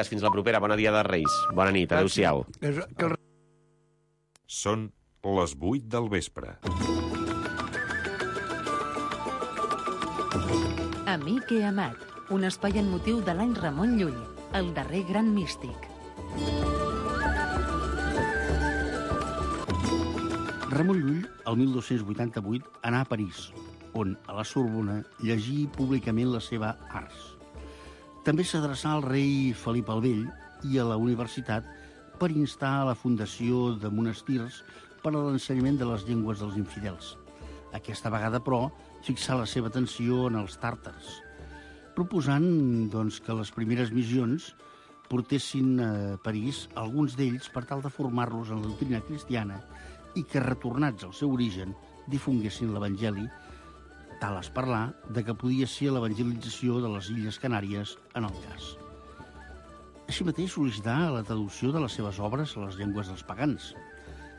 Fins la propera. Bona dia de Reis. Bona nit. Adéu-siau. Són les 8 del vespre. Amic i amat, un espai en motiu de l'any Ramon Llull, el darrer gran místic. Ramon Llull, el 1288, anà a París, on, a la Sorbona, llegí públicament la seva Ars. També s'adreçà al rei Felip el Vell i a la universitat per instar a la fundació de monestirs per a l'ensenyament de les llengües dels infidels. Aquesta vegada, però, fixà la seva atenció en els tàrtars, proposant doncs, que les primeres missions portessin a París alguns d'ells per tal de formar-los en la doctrina cristiana i que, retornats al seu origen, difonguessin l'Evangeli, tal es parlar de que podia ser l'evangelització de les Illes Canàries en el cas. Així mateix sol·licità la traducció de les seves obres a les llengües dels pagans.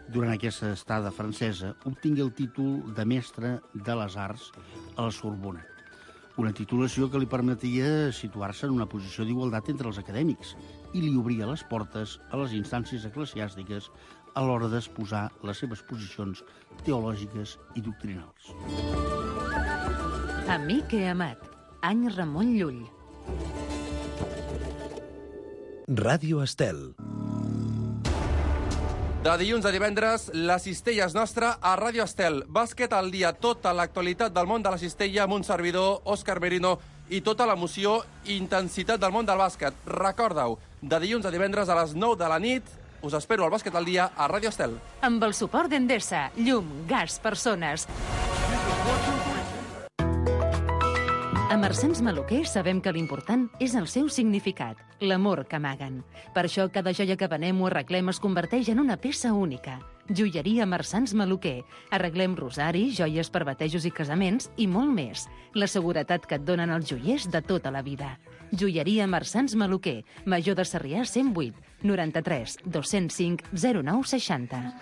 Durant aquesta estada francesa obtingué el títol de mestre de les arts a la Sorbona, una titulació que li permetia situar-se en una posició d'igualtat entre els acadèmics i li obria les portes a les instàncies eclesiàstiques a l'hora d'exposar les seves posicions teològiques i doctrinals. Amic i amat, any Ramon Llull. Ràdio Estel. De dilluns a divendres, la cistella és nostra a Ràdio Estel. Bàsquet al dia, tota l'actualitat del món de la cistella amb un servidor, Òscar Merino, i tota l'emoció i intensitat del món del bàsquet. Recorda-ho, de dilluns a divendres a les 9 de la nit, us espero al Bàsquet al dia a Ràdio Estel. Amb el suport d'Endesa, llum, gas, persones. A Marsans Maluquer sabem que l'important és el seu significat, l'amor que amaguen. Per això cada joia que venem o arreglem es converteix en una peça única. Joieria Marsans Maluquer. Arreglem rosari, joies per batejos i casaments i molt més. La seguretat que et donen els joiers de tota la vida. Joieria Marsans Maluquer. Major de Sarrià 108 93 205 09 60.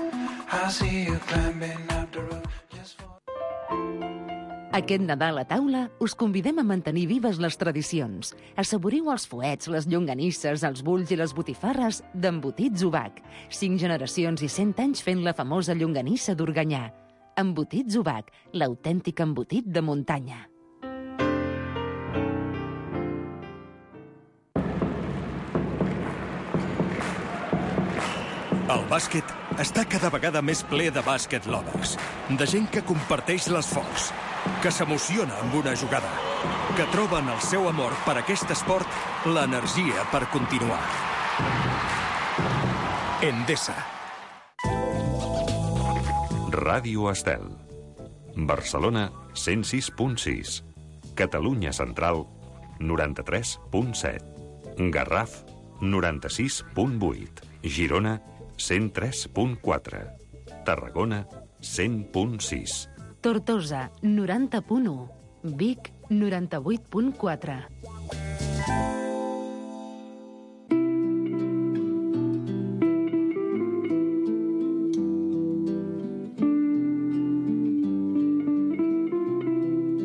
Aquest Nadal a taula us convidem a mantenir vives les tradicions. Assaboriu els fuets, les llonganisses, els bulls i les botifarres d'Embotits Ubac. 5 generacions i 100 anys fent la famosa llonganissa d'Organyà. Embotits Ubac, l'autèntic embotit de muntanya. El bàsquet està cada vegada més ple de bàsquet lovers, de gent que comparteix l'esforç, que s'emociona amb una jugada, que troben el seu amor per aquest esport, l'energia per continuar. Endesa. Ràdio Estel. Barcelona, 106.6. Catalunya Central, 93.7. Garraf, 96.8. Girona, 103.4. Tarragona, 100.6. Tortosa, 90.1. Vic, 98.4.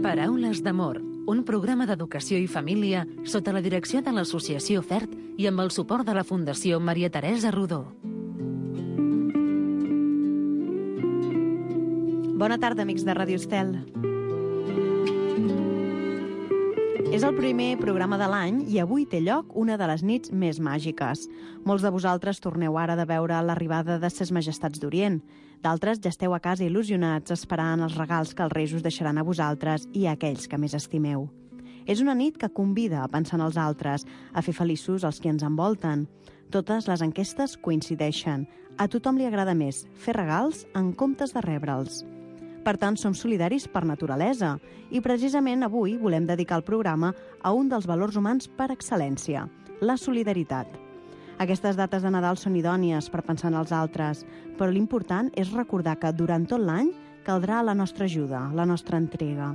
Paraules d'amor, un programa d'educació i família sota la direcció de l'Associació FERT i amb el suport de la Fundació Maria Teresa Rodó. Bona tarda, amics de Ràdio Estel. És el primer programa de l'any i avui té lloc una de les nits més màgiques. Molts de vosaltres torneu ara de veure l'arribada de ses majestats d'Orient. D'altres ja esteu a casa il·lusionats esperant els regals que els Reis us deixaran a vosaltres i a aquells que més estimeu. És una nit que convida a pensar en els altres, a fer feliços els que ens envolten. Totes les enquestes coincideixen. A tothom li agrada més fer regals en comptes de rebre'ls. Per tant, som solidaris per naturalesa i precisament avui volem dedicar el programa a un dels valors humans per excel·lència, la solidaritat. Aquestes dates de Nadal són idònies per pensar en els altres, però l'important és recordar que durant tot l'any caldrà la nostra ajuda, la nostra entrega.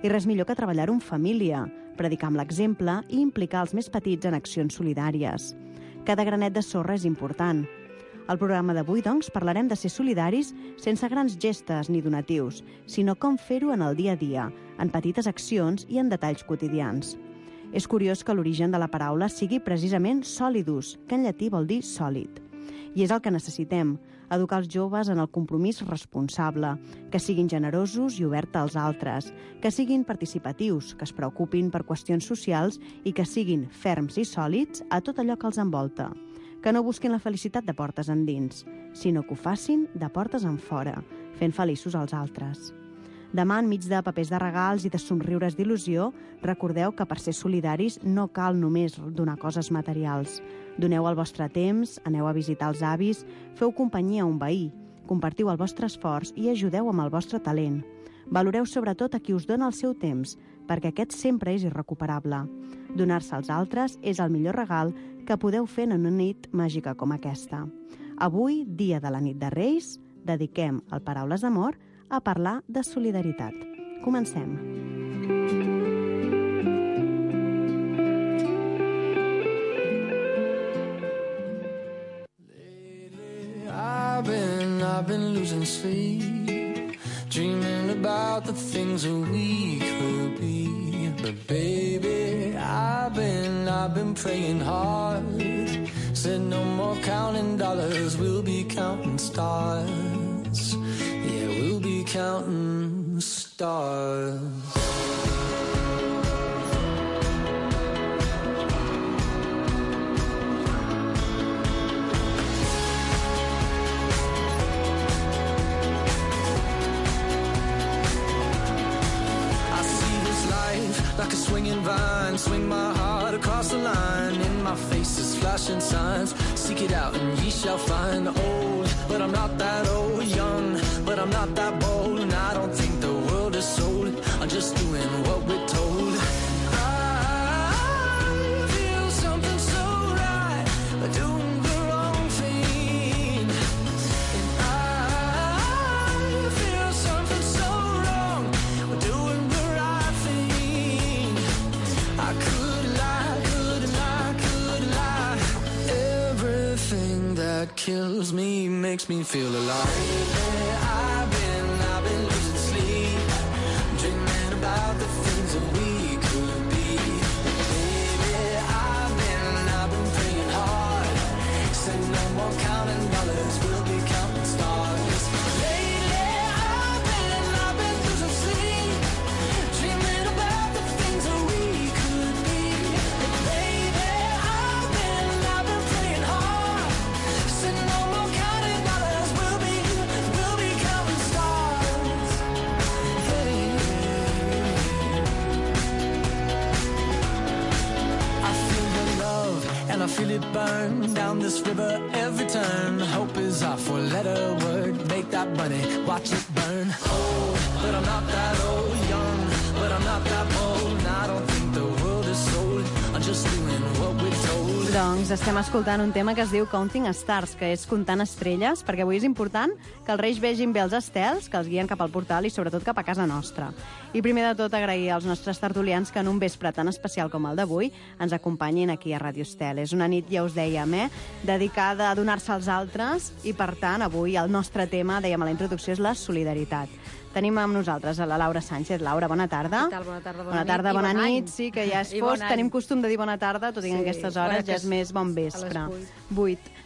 I res millor que treballar-ho en família, predicar amb l'exemple i implicar els més petits en accions solidàries. Cada granet de sorra és important. Al programa d'avui, doncs, parlarem de ser solidaris sense grans gestes ni donatius, sinó com fer-ho en el dia a dia, en petites accions i en detalls quotidians. És curiós que l'origen de la paraula sigui precisament solidus, que en llatí vol dir sòlid. I és el que necessitem, educar els joves en el compromís responsable, que siguin generosos i oberts als altres, que siguin participatius, que es preocupin per qüestions socials i que siguin ferms i sòlids a tot allò que els envolta, que no busquin la felicitat de portes endins, sinó que ho facin de portes enfora, fent feliços als altres. Demà, enmig de papers de regals i de somriures d'il·lusió, recordeu que per ser solidaris no cal només donar coses materials. Doneu el vostre temps, aneu a visitar els avis, feu companyia a un veí, compartiu el vostre esforç i ajudeu amb el vostre talent. Valoreu sobretot a qui us dona el seu temps, perquè aquest sempre és irrecuperable. Donar-se als altres és el millor regal que podeu fer en una nit màgica com aquesta. Avui, dia de la nit de Reis, dediquem el Paraules d'Amor a parlar de solidaritat. Comencem. I've been losing sleep, dreaming about the things that we could be. But baby, I've been praying hard. Said no more counting dollars, we'll be counting stars. Yeah, we'll be counting stars. Like a swinging vine, swing my heart across the line. In my face is flashing signs. Seek it out and ye shall find. Old, but I'm not that old. Young, but I'm not that bold. And I don't think the world is sold. I'm just doing what we're told. I feel something so right, but doing the wrong thing. And I feel something so wrong, but doing the right thing. I could lie. Everything that kills me makes me feel alive. I've been losing sleep, dreaming about the things that we could be. Baby, I've been praying hard. Said no more counting dollars, we'll be counting stars. Lately, I've been losing sleep, dreaming about the things that we could be. Baby, I've been praying hard. Said no more counting dollars, we'll be counting stars. Hey. I feel the love and I feel it burn down this river every turn. Hope is our four-letter word. Make that money, watch it burn. Old, but I'm not that old. Young, but I'm not that bold. And I don't think the world is sold. I'm just doing what we're told. Doncs estem escoltant un tema que es diu Counting Stars, que és comptant estrelles, perquè avui és important que els Reis vegin bé els estels, que els guien cap al portal i sobretot cap a casa nostra. I primer de tot agrair als nostres tertulians que en un vespre tan especial com el d'avui ens acompanyin aquí a Ràdio Estel. És una nit, ja us dèiem, dedicada a donar-se als altres i, per tant, avui el nostre tema, dèiem a la introducció, és la solidaritat. Tenim amb nosaltres a la Laura Sánchez. Laura, bona tarda. Què tal? Bona tarda, bona tarda, bona nit. Sí, que ja és fosc. Tenim costum de dir bona tarda, tot i que en aquestes hores ja és més bon vespre. 8.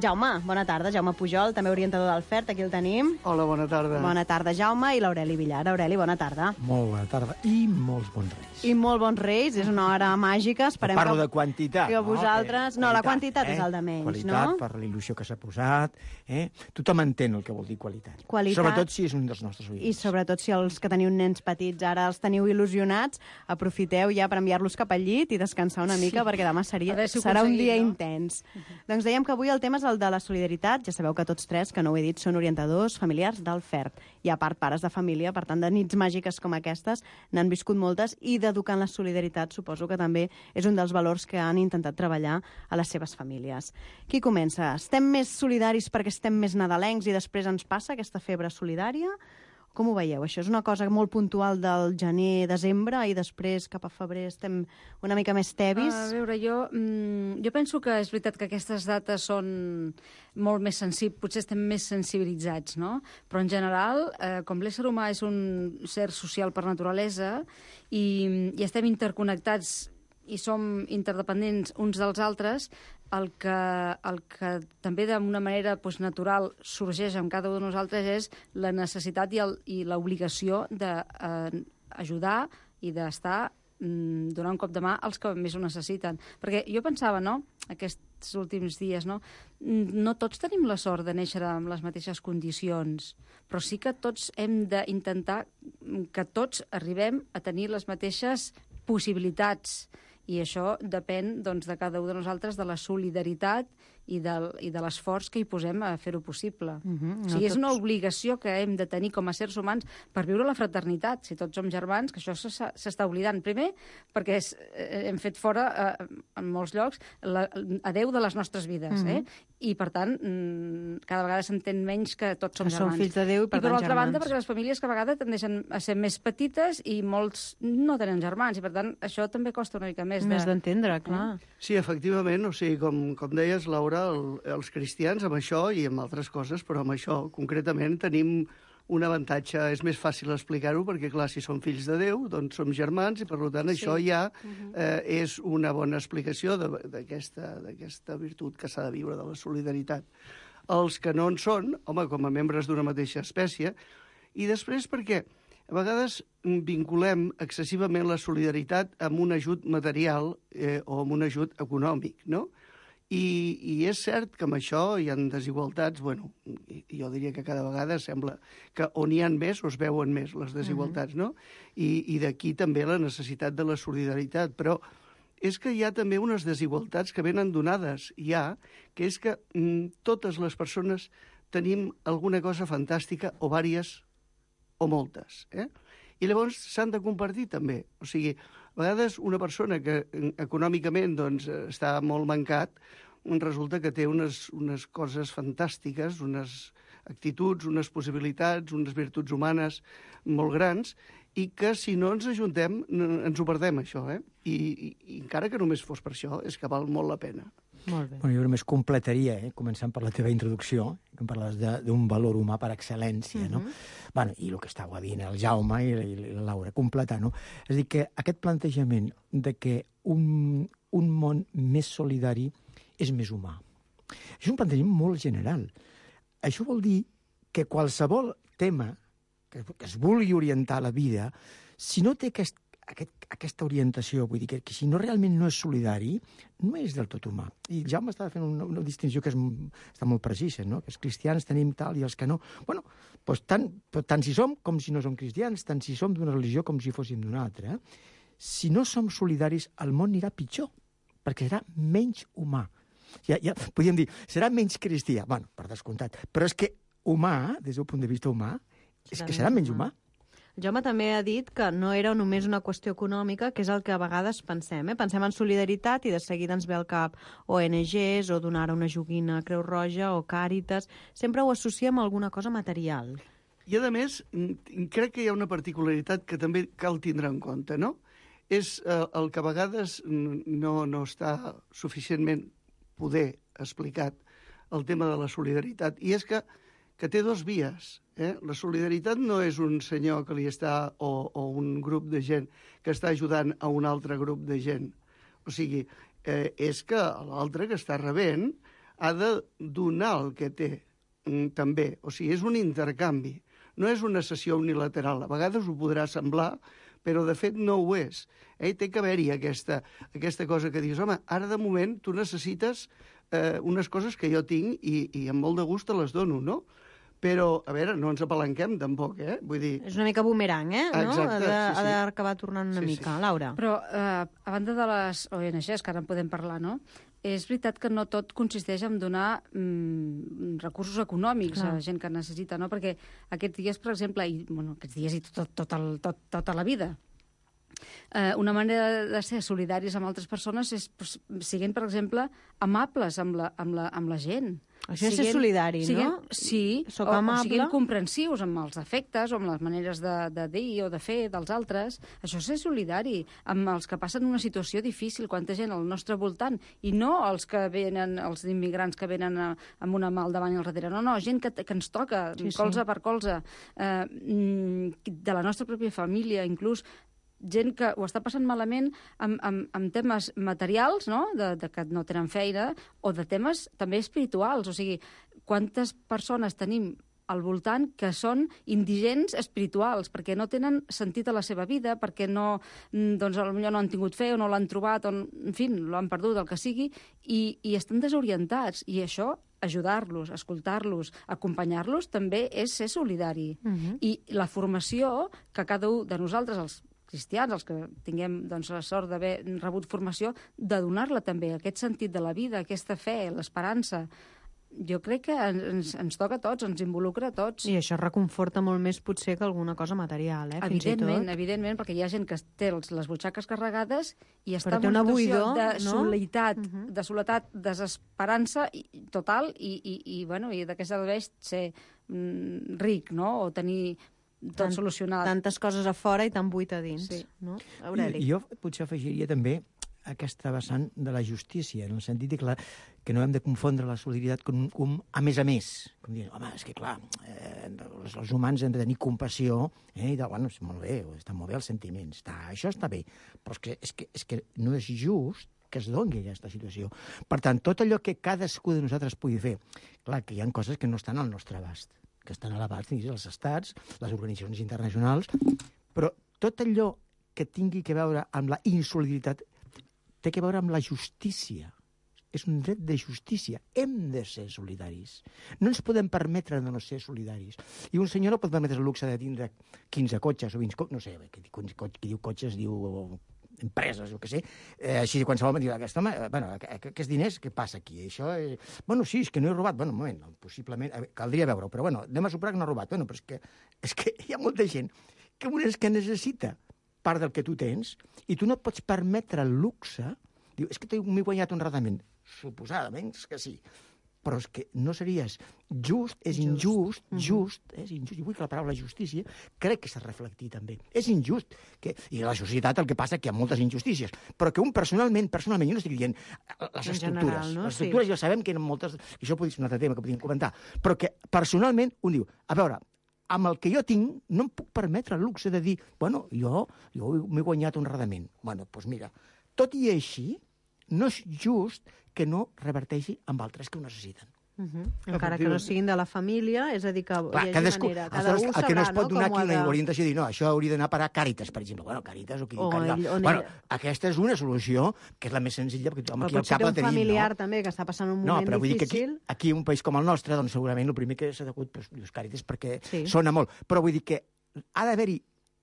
Jaume, bona tarda. Jaume Pujol, també orientador del FERT, aquí el tenim. Hola, bona tarda. Bona tarda, Jaume, i l'Aureli Villar. Aureli, bona tarda. Molt bona tarda i molts bons Reis. I molt bons Reis, és una hora màgica. Esperem Parlo de quantitat. Que vosaltres... No, la quantitat és el de menys, qualitat, no? per la il·lusió que s'ha posat. Tothom entén el que vol dir qualitat. Sobretot si és un dels nostres oients. I sobretot si els que teniu nens petits ara els teniu il·lusionats, aprofiteu ja per enviar-los cap al llit i descansar una mica, perquè demà serà un dia intens. Doncs dèiem que avui el tema és el de la solidaritat. Ja sabeu que tots tres, que no ho he dit, són orientadors familiars del FERT. I a part, pares de família, per tant, de nits màgiques com aquestes, n'han viscut moltes, i d'educar en la solidaritat suposo que també és un dels valors que han intentat treballar a les seves famílies. Qui comença? Estem més solidaris perquè estem més nadalencs i després ens passa aquesta febre solidària? Com ho veieu? Això és una cosa molt puntual del gener-desembre i després cap a febrer estem una mica més tebis? A veure, jo penso que és veritat que aquestes dates són molt més sensibles, potser estem més sensibilitzats, no? Però en general, com l'ésser humà és un ser social per naturalesa i estem interconnectats i som interdependents uns dels altres, el que també d'una manera natural sorgeix en cada un de nosaltres és la necessitat i l'obligació d'ajudar i d'estar donar un cop de mà als que més ho necessiten. Perquè jo pensava, aquests últims dies, no tots tenim la sort de néixer amb les mateixes condicions, però sí que tots hem d'intentar que tots arribem a tenir les mateixes possibilitats. I això depèn de cada un de nosaltres, de la solidaritat i de l'esforç que hi posem a fer-ho possible. O sigui, és una obligació que hem de tenir com a éssers humans per viure la fraternitat. Si tots som germans, que això s'està oblidant. Primer, perquè hem fet fora, en molts llocs, a Déu de les nostres vides. I, per tant, cada vegada s'entén menys que tots som germans. Som fills de Déu i, per tant, germans. I, per l'altra banda, perquè les famílies cada vegada tendeixen a ser més petites i molts no tenen germans. I, per tant, això també costa una mica més d'entendre, clar. Sí, efectivament, o sigui, com deies, Laura, els cristians amb això i amb altres coses, però amb això concretament tenim un avantatge. És més fàcil explicar-ho perquè, clar, si som fills de Déu, doncs som germans i, per tant, això ja és una bona explicació d'aquesta virtut que s'ha de viure, de la solidaritat. Els que no en són, home, com a membres d'una mateixa espècie, i després perquè a vegades vinculem excessivament la solidaritat amb un ajut material o amb un ajut econòmic, no? I és cert que amb això hi ha desigualtats, jo diria que cada vegada sembla que on hi ha més o es veuen més les desigualtats, no? I d'aquí també la necessitat de la solidaritat, però és que hi ha també unes desigualtats que venen donades ja, que és que totes les persones tenim alguna cosa fantàstica o vàries o moltes, I llavors s'han de compartir també. O sigui, a vegades una persona que econòmicament està molt mancat resulta que té unes coses fantàstiques, unes actituds, unes possibilitats, unes virtuts humanes molt grans, i que si no ens ajuntem ens ho perdem, això, I encara que només fos per això, és que val molt la pena. Molt bé. Jo només completaria, començant per la teva introducció, que em parlaves d'un valor humà per excel·lència, no? I el que estàveu dient el Jaume i la Laura, completar, no? És a dir, que aquest plantejament de que un món més solidari és més humà. És un plantejament molt general. Això vol dir que qualsevol tema que es vulgui orientar a la vida, si no té aquesta orientació, vull dir que si no realment no és solidari, no és del tot humà. I Jaume estava fent una distinció que està molt precisa, no? Que els cristians tenim tal i els que no. Doncs tant si som com si no som cristians, tant si som d'una religió com si fóssim d'una altra. Si no som solidaris, el món anirà pitjor, perquè serà menys humà. Ja podríem dir, serà menys cristià. Per descomptat. Però és que humà, des del punt de vista humà, és que serà menys humà. Jaume també ha dit que no era només una qüestió econòmica, que és el que a vegades pensem. Pensem en solidaritat i de seguida ens ve al cap ONGs o donar una joguina a Creu Roja o Càritas. Sempre ho associem a alguna cosa material. I, a més, crec que hi ha una particularitat que també cal tindre en compte, no? És el que a vegades no està suficientment poder explicat, el tema de la solidaritat, i és que té dos vies. La solidaritat no és un senyor que li està, o un grup de gent que està ajudant a un altre grup de gent. O sigui, és que l'altre que està rebent ha de donar el que té també. O sigui, és un intercanvi. No és una cessió unilateral. A vegades ho podrà semblar, però de fet no ho és. Té que haver-hi aquesta cosa que dius, home, ara de moment tu necessites unes coses que jo tinc i amb molt de gust te les dono, no? Però, a veure, no ens apalanquem tampoc, Vull dir... És una mica bumerang, no? Exacte, ha d'acabar tornant una mica. Laura. Però, a banda de les ONGs, que ara en podem parlar, no? És veritat que no tot consisteix en donar recursos econòmics a gent que necessita, no? Perquè aquests dies, per exemple, aquests dies i tota la vida, una manera de ser solidaris amb altres persones és siguent, per exemple, amables amb la gent. Això és ser solidari, no? Sí, o siguent comprensius amb els efectes o amb les maneres de dir o de fer dels altres. Això és ser solidari amb els que passen una situació difícil, quanta gent al nostre voltant, i no els que venen, els immigrants que venen amb una mà al davant i al darrere. No, gent que ens toca, colze per colze, de la nostra pròpia família, inclús. gent que ho està passant malament amb temes materials, no? De que no tenen feina, o de temes també espirituals. O sigui, quantes persones tenim al voltant que són indigents espirituals, perquè no tenen sentit a la seva vida, perquè no, doncs, potser no han tingut fe o no l'han trobat, o, en fi, l'han perdut, el que sigui, i estan desorientats. I això, ajudar-los, escoltar-los, acompanyar-los, també és ser solidari. I la formació que cada un de nosaltres, els cristians, els que tinguem doncs, la sort d'haver rebut formació, de donar-la també, aquest sentit de la vida, aquesta fe, l'esperança. Jo crec que ens toca a tots, ens involucra a tots. I això reconforta molt més potser que alguna cosa material, fins i tot. Evidentment, perquè hi ha gent que té les butxaques carregades i està en una una situació buidor, de no? soledat, de soledat, desesperança total i d'aquesta vegada ser ric, no? O tenir tot solucionat. Tantes coses a fora i tan buit a dins. Sí. No? Aureli. Jo potser afegiria també aquesta vessant de la justícia, en el sentit que no hem de confondre la solidaritat com a més, com dir, home, és que clar, els humans hem de tenir compassió, i bueno, és molt bé, està molt bé els sentiments, això està bé, però és que no és just que es doni aquesta situació. Per tant, tot allò que cadascú de nosaltres pugui fer, clar, que hi ha coses que no estan al nostre abast, que estan a l'abast dels estats, les organitzacions internacionals, però tot allò que tingui que veure amb la insolidaritat té que veure amb la justícia. És un dret de justícia. Hem de ser solidaris. No ens podem permetre de no ser solidaris. I un senyor no pot permetre el luxe de tindre 15 cotxes o 20 cotxes, no sé, qui diu cotxes diu empreses, jo què sé, així qualsevol diu, aquests diners, què passa aquí? Això bueno, sí, és que no he robat. Bueno, un moment, possiblement, caldria veure-ho, però bueno, anem a superar que no he robat. Bueno, però és que hi ha molta gent que necessita part del que tu tens, i tu no et pots permetre el luxe, diu, és que m'he guanyat honradament. Suposadament que sí, però és que no series just, és injust, és injust, i vull que la paraula justícia crec que s'ha reflectit també. És injust, i a la societat el que passa que hi ha moltes injustícies, però que un personalment, jo no estic dient les estructures, no? Les estructures ja sabem que hi ha moltes, i això podria ser un altre tema que podríem comentar, però que personalment un diu, a veure, amb el que jo tinc, no em puc permetre el luxe de dir, bueno, jo m'he guanyat honradament. Bueno, doncs mira, tot i així, no és just que no reverteixi amb altres que ho necessiten. Encara que no siguin de la família, és a dir, que hi hagi manera. Cada un sabrà, que no es pot donar aquí una orientació i dir, no, això hauria d'anar a parar a Càritas, per exemple. Bueno, Càritas o qui diu Càritas. Bueno, aquesta és una solució que és la més senzilla, perquè tothom aquí al cap la tenim. Però pot ser un familiar també que està passant un moment difícil. No, però vull dir que aquí un país com el nostre, doncs segurament el primer que s'ha degut, dius Càritas, perquè sona molt. Però vull dir que ha d'haver-hi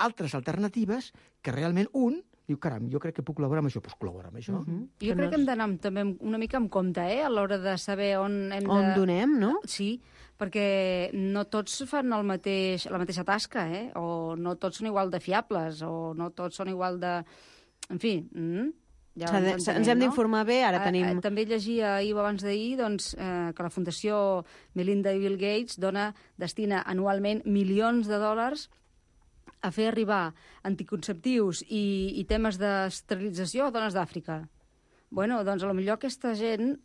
altres alternatives que realment un diu, caram, jo crec que puc col·laborar amb això, doncs col·labora amb això. Jo crec que hem d'anar també una mica amb compte, a l'hora de saber on hem de... On donem, no? Sí, perquè no tots fan la mateixa tasca, o no tots són igual de fiables, o no tots són igual de... En fi... Ja ens hem d'informar bé, ara tenim... També llegia ahir o abans d'ahir que la Fundació Melinda i Bill Gates destina anualment milions de dòlars a fer arribar anticonceptius i temes d'esterilització a dones d'Àfrica. Bueno, doncs potser aquesta gent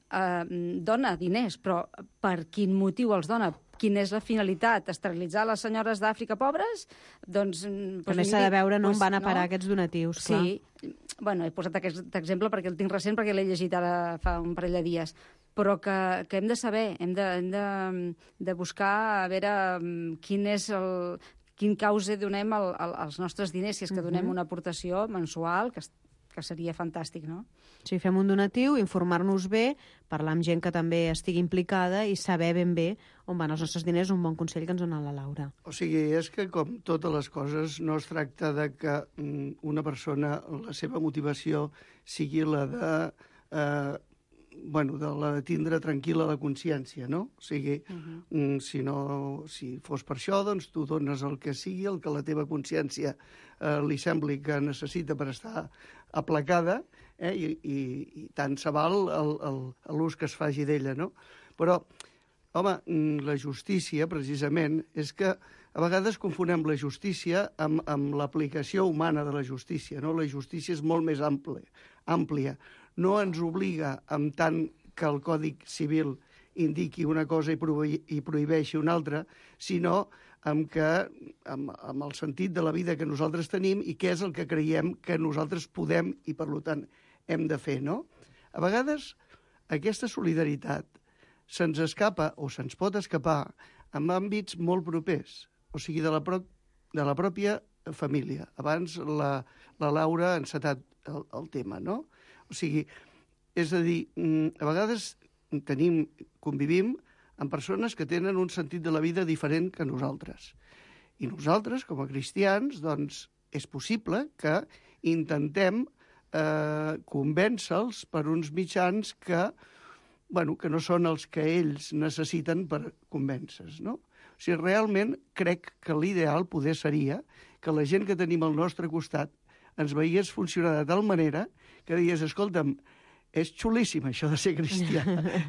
dona diners, però per quin motiu els dona? Quina és la finalitat? Esterilitzar les senyores d'Àfrica pobres? Doncs... També s'ha de veure on van a parar aquests donatius, clar. Sí, bueno, he posat aquest exemple perquè el tinc recent, perquè l'he llegit ara fa un parell de dies, però que hem de saber, hem de buscar a veure quin causa donem als nostres diners, si és que donem una aportació mensual, que seria fantàstic, no? Sí, fem un donatiu, informar-nos bé, parlar amb gent que també estigui implicada i saber ben bé on van els nostres diners, un bon consell que ens dona la Laura. O sigui, és que com totes les coses no es tracta de que una persona, la seva motivació sigui la de tindre tranquil·la la consciència, no? O sigui, si fos per això, doncs tu dones el que sigui, el que la teva consciència li sembli que necessita per estar aplacada, i tant se val l'ús que es faci d'ella, no? Però, home, la justícia, precisament, és que a vegades confonem la justícia amb l'aplicació humana de la justícia, no? La justícia és molt més àmplia. No ens obliga, en tant que el Codi Civil indiqui una cosa i prohibeixi una altra, sinó amb el sentit de la vida que nosaltres tenim i què és el que creiem que nosaltres podem i, per tant, hem de fer, no? A vegades, aquesta solidaritat se'ns escapa o se'ns pot escapar en àmbits molt propers, o sigui, de la pròpia família. Abans la Laura ha encetat el tema, no? O sigui, és a dir, a vegades convivim amb persones que tenen un sentit de la vida diferent que nosaltres. I nosaltres, com a cristians, doncs, és possible que intentem convèncer-los per uns mitjans que no són els que ells necessiten per convèncer-los, no? O sigui, realment crec que l'ideal poder seria que la gent que tenim al nostre costat ens veiés funcionar de tal manera que deies, escolta'm, és xulíssim això de ser cristià,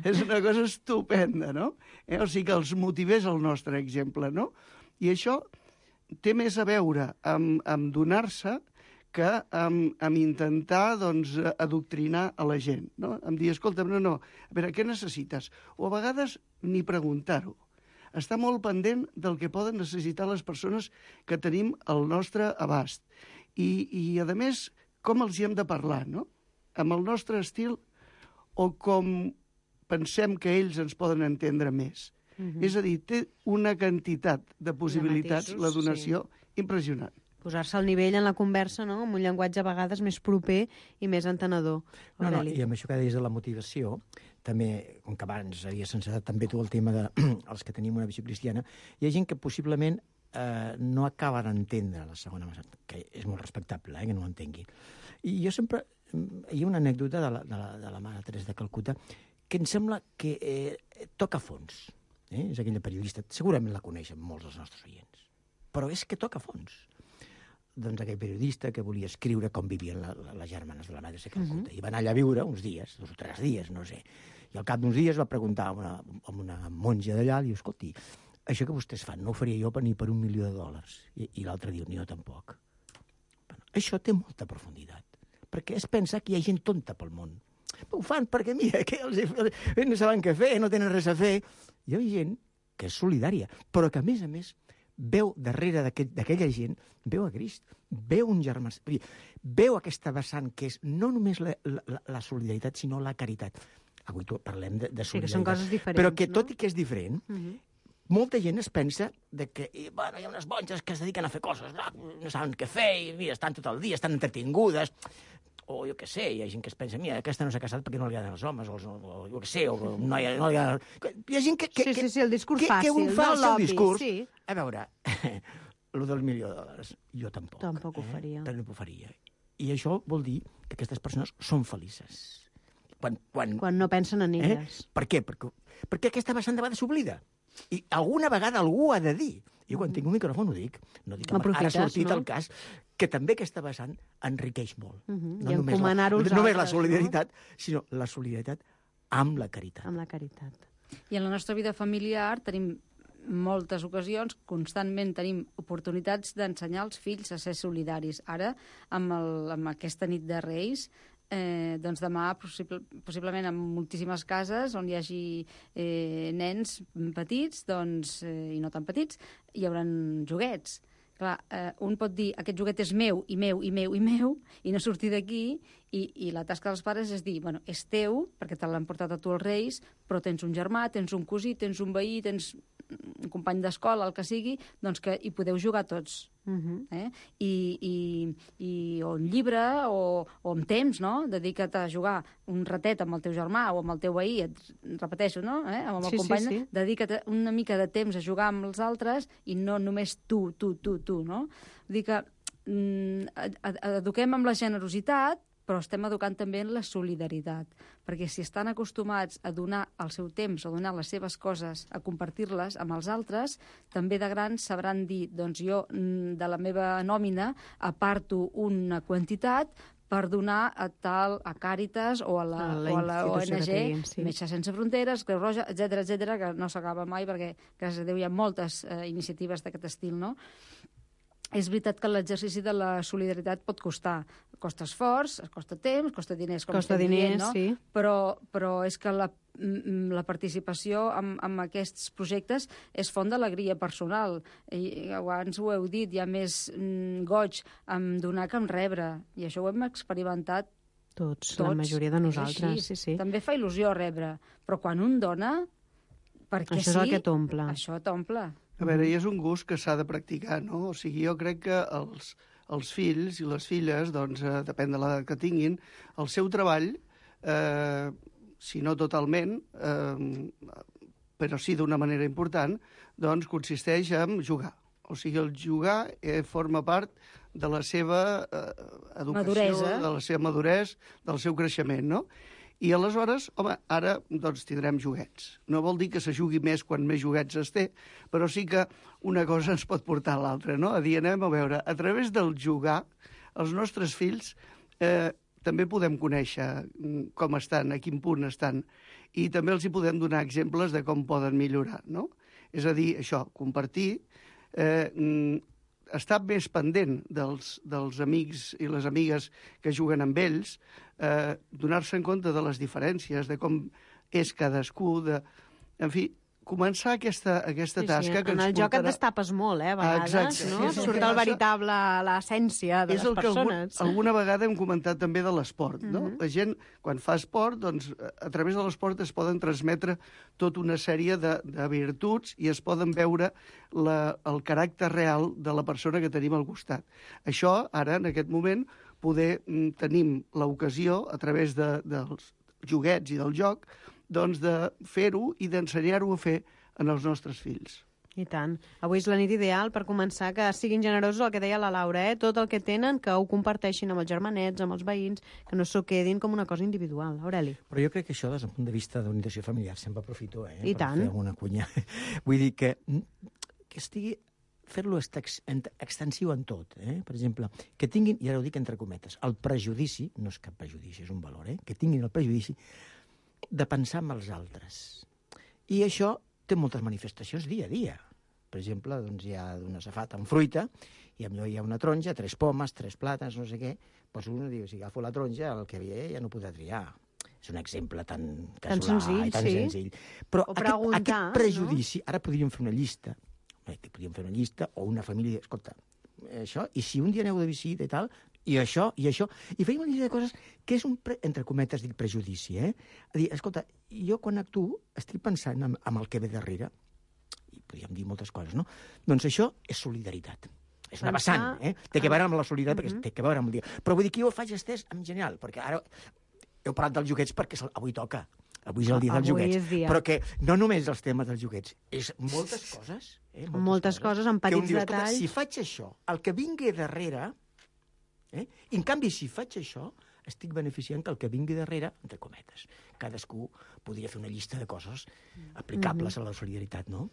és una cosa estupenda, no? O sigui, que els motivés el nostre exemple, no? I això té més a veure amb donar-se que amb intentar doncs, adoctrinar a la gent, no? Em dir, escolta'm, no, a veure, què necessites? O a vegades ni preguntar-ho. Està molt pendent del que poden necessitar les persones que tenim al nostre abast. I a més, com els hi hem de parlar, no? Amb el nostre estil o com pensem que ells ens poden entendre més. És a dir, té una quantitat de possibilitats, la donació, impressionant. Posar-se al nivell en la conversa, no?, amb un llenguatge a vegades més proper i més entenedor. No, i amb això que deies de la motivació, també, com que abans havies encetat també tu el tema dels que tenim una visió cristiana, hi ha gent que possiblement no acaba d'entendre la segona massa, que és molt respectable, que no ho entengui. I jo sempre... Hi ha una anècdota de la mare Teresa de Calcuta que em sembla que toca fons. És aquella periodista, segurament la coneixen molts dels nostres oients, però és que toca fons. Doncs aquell periodista que volia escriure com vivien les germanes de la mare Teresa de Calcuta. I va anar allà a viure uns dies, 2 o 3 dies, no sé. I al cap d'uns dies va preguntar a una monja d'allà, i diu, escolti, això que vostès fan no ho faria jo ni per $1.000.000. I l'altre diu, ni jo tampoc. Bueno, això té molta profunditat, perquè es pensa que hi ha gent tonta pel món. Ho fan perquè, mira, que no saben què fer, no tenen res a fer. Hi ha gent que és solidària, però que, a més, veu darrere d'aquella gent, veu a Crist, veu un germà, veu aquesta vessant que és no només la solidaritat, sinó la caritat. Avui parlem de solidaritat. Sí, que són coses diferents, però que tot i que és diferent, molta gent es pensa que hi ha unes monges que es dediquen a fer coses, no saben què fer, i mira, estan tot el dia, estan entretingudes, o jo què sé, hi ha gent que es pensa, mira, aquesta no s'ha casat perquè no li agraden els homes, o jo què sé, o no li agrada... Hi ha gent que Sí, el discurs fàcil, que un fa el seu discurs. Sí. A veure, el del $1.000.000, jo tampoc. Tampoc ho faria. Però no ho faria. I això vol dir que aquestes persones són felices. Quan no pensen en elles. Per què? Perquè aquesta vessant de vegades s'oblida. I alguna vegada algú ha de dir. Jo quan tinc un micròfon ho dic. No dic que ara ha sortit el cas, que també aquesta vessant enriqueix molt. I encomanar-ho als altres. No només la solidaritat, sinó la solidaritat amb la caritat. Amb la caritat. I en la nostra vida familiar tenim moltes ocasions, constantment tenim oportunitats d'ensenyar als fills a ser solidaris. Ara, amb aquesta nit de Reis, doncs demà, possiblement en moltíssimes cases on hi hagi nens petits, doncs, i no tan petits, hi haurà joguets. Clar, un pot dir, aquest joguet és meu, i meu, i meu, i meu, i no sortir d'aquí, i la tasca dels pares és dir, bueno, és teu, perquè te l'han portat a tu els Reis, però tens un germà, tens un cosí, tens un veí, tens un company d'escola, el que sigui, doncs que hi podeu jugar tots. I o un llibre o amb temps, no? Dedica't a jugar un ratet amb el teu germà o amb el teu veí, repeteixo, no? Amb el company, sí. Dedica't una mica de temps a jugar amb els altres i no només tu, no? Vull dir que eduquem amb la generositat, però estem educant també en la solidaritat, perquè si estan acostumats a donar el seu temps, a donar les seves coses, a compartir-les amb els altres, també de grans sabran dir, doncs jo de la meva nòmina aparto una quantitat per donar a Càritas o a la ONG, Metges Sense Fronteres, Creu Roja, etc, que no s'acaba mai perquè, gràcies a Déu, hi ha moltes iniciatives d'aquest estil, no? És veritat que l'exercici de la solidaritat pot costar. Costa esforç, costa temps, costa diners, com costa diners, no? Sí. Però és que la participació en aquests projectes és font d'alegria personal. I abans ho heu dit, hi ha més goig en donar que en rebre, i això ho hem experimentat Tots, la majoria de nosaltres. Sí. També fa il·lusió rebre, però quan un dona, perquè això és el que t'omple. Això t'omple. A veure, i és un gust que s'ha de practicar, no? O sigui, jo crec que els fills i les filles, doncs, depèn de l'edat que tinguin, el seu treball, si no totalment, però sí d'una manera important, doncs consisteix en jugar. O sigui, el jugar forma part de la seva educació, maduresa, de la seva maduresa, del seu creixement, no? I aleshores, home, ara doncs, tindrem joguets. No vol dir que se jugui més quan més joguets es té, però sí que una cosa ens pot portar a l'altra, no? A dir, anem a veure, a través del jugar, els nostres fills també podem conèixer com estan, a quin punt estan, i també els hi podem donar exemples de com poden millorar, no? És a dir, això, compartir, estar més pendent dels amics i les amigues que juguen amb ells, donar-se en compte de les diferències, de com és cadascú, en fi, començar aquesta tasca que ens portarà... En el joc et destapes molt, a vegades, no? Surt l'essència de les persones. Alguna vegada hem comentat també de l'esport, no? La gent, quan fa esport, doncs, a través de l'esport es poden transmetre tota una sèrie de virtuts i es poden veure el caràcter real de la persona que tenim al costat. Això, ara, en aquest moment, tenim l'ocasió, a través dels joguets i del joc, doncs de fer-ho i d'ensenyar-ho a fer en els nostres fills. I tant. Avui és la nit ideal per començar que siguin generosos, el que deia la Laura, tot el que tenen, que ho comparteixin amb els germanets, amb els veïns, que no s'ho quedin com una cosa individual. Aureli. Però jo crec que això, des del punt de vista d'unificació familiar, sempre aprofito I per tant. fer alguna cunya. Vull dir que estigui fer-lo extensiu en tot. Per exemple, que tinguin, i ara ho dic entre cometes, el prejudici, no és cap prejudici, és un valor, que tinguin el prejudici de pensar en els altres. I això té moltes manifestacions dia a dia. Per exemple, doncs hi ha una safata amb fruita, i potser hi ha una taronja, 3 pomes, 3 plàtans, no sé què, doncs un diu, si agafo la taronja, el que ve ja no podrà triar. És un exemple tan senzill, tan sí. senzill. Però aquest prejudici, no? Ara podríem fer una llista, o una família, escolta, això, i si un dia aneu de visita i tal, i això, i feim una llista de coses que és entre cometes, dic prejudici, A dir, escolta, jo quan actuo estic pensant en el que ve darrere, i podríem dir moltes coses, no? Doncs això és solidaritat. És una vessant, Té que veure amb la solidaritat, perquè té que veure amb el dia. Però vull dir que jo ho faig estès en general, perquè ara heu parlat dels joguets perquè avui toca. Avui és el dia dels joguets. Però que no només els temes dels joguets, és moltes coses. Moltes coses, amb petits detalls. Si faig això, el que vingui darrere... I, en canvi, si faig això, estic beneficiant que el que vingui darrere, entre cometes, cadascú podria fer una llista de coses aplicables a la solidaritat, no?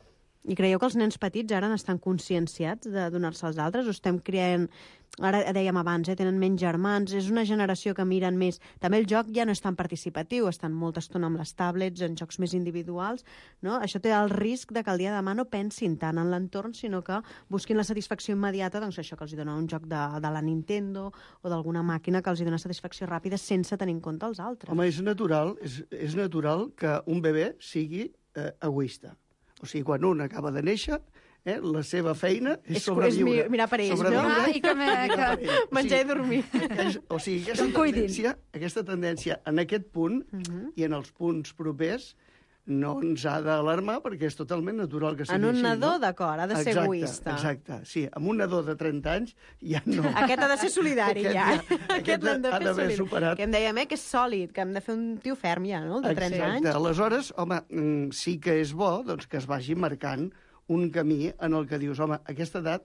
I creieu que els nens petits ara estan conscienciats de donar-se als altres? O estem creant... Ara dèiem abans, tenen menys germans, és una generació que miren més... També el joc ja no és tan participatiu, estan molta estona amb les tablets, en jocs més individuals, no? Això té el risc de que el dia de demà no pensin tant en l'entorn, sinó que busquin la satisfacció immediata, doncs això que els dona un joc de la Nintendo o d'alguna màquina que els dona satisfacció ràpida sense tenir en compte els altres. Home, és natural que un bebè sigui egoista. O sigui, quan un acaba de néixer, la seva feina és sobreviure. És mirar per ells, no? I que menjar i dormir. O sigui, aquesta tendència en aquest punt i en els punts propers no ens ha d'alarmar perquè és totalment natural que sigui així. En un nadó, d'acord, ha de ser egoista. Exacte, sí. En un nadó de 30 anys ja no. Aquest ha de ser solidari, ja. Aquest l'hem de fer solidari. Que em dèiem, que és sòlid, que hem de fer un tio ferm ja, no?, el de 30 anys. Exacte. Aleshores, home, sí que és bo que es vagi marcant un camí en el que dius, home, a aquesta edat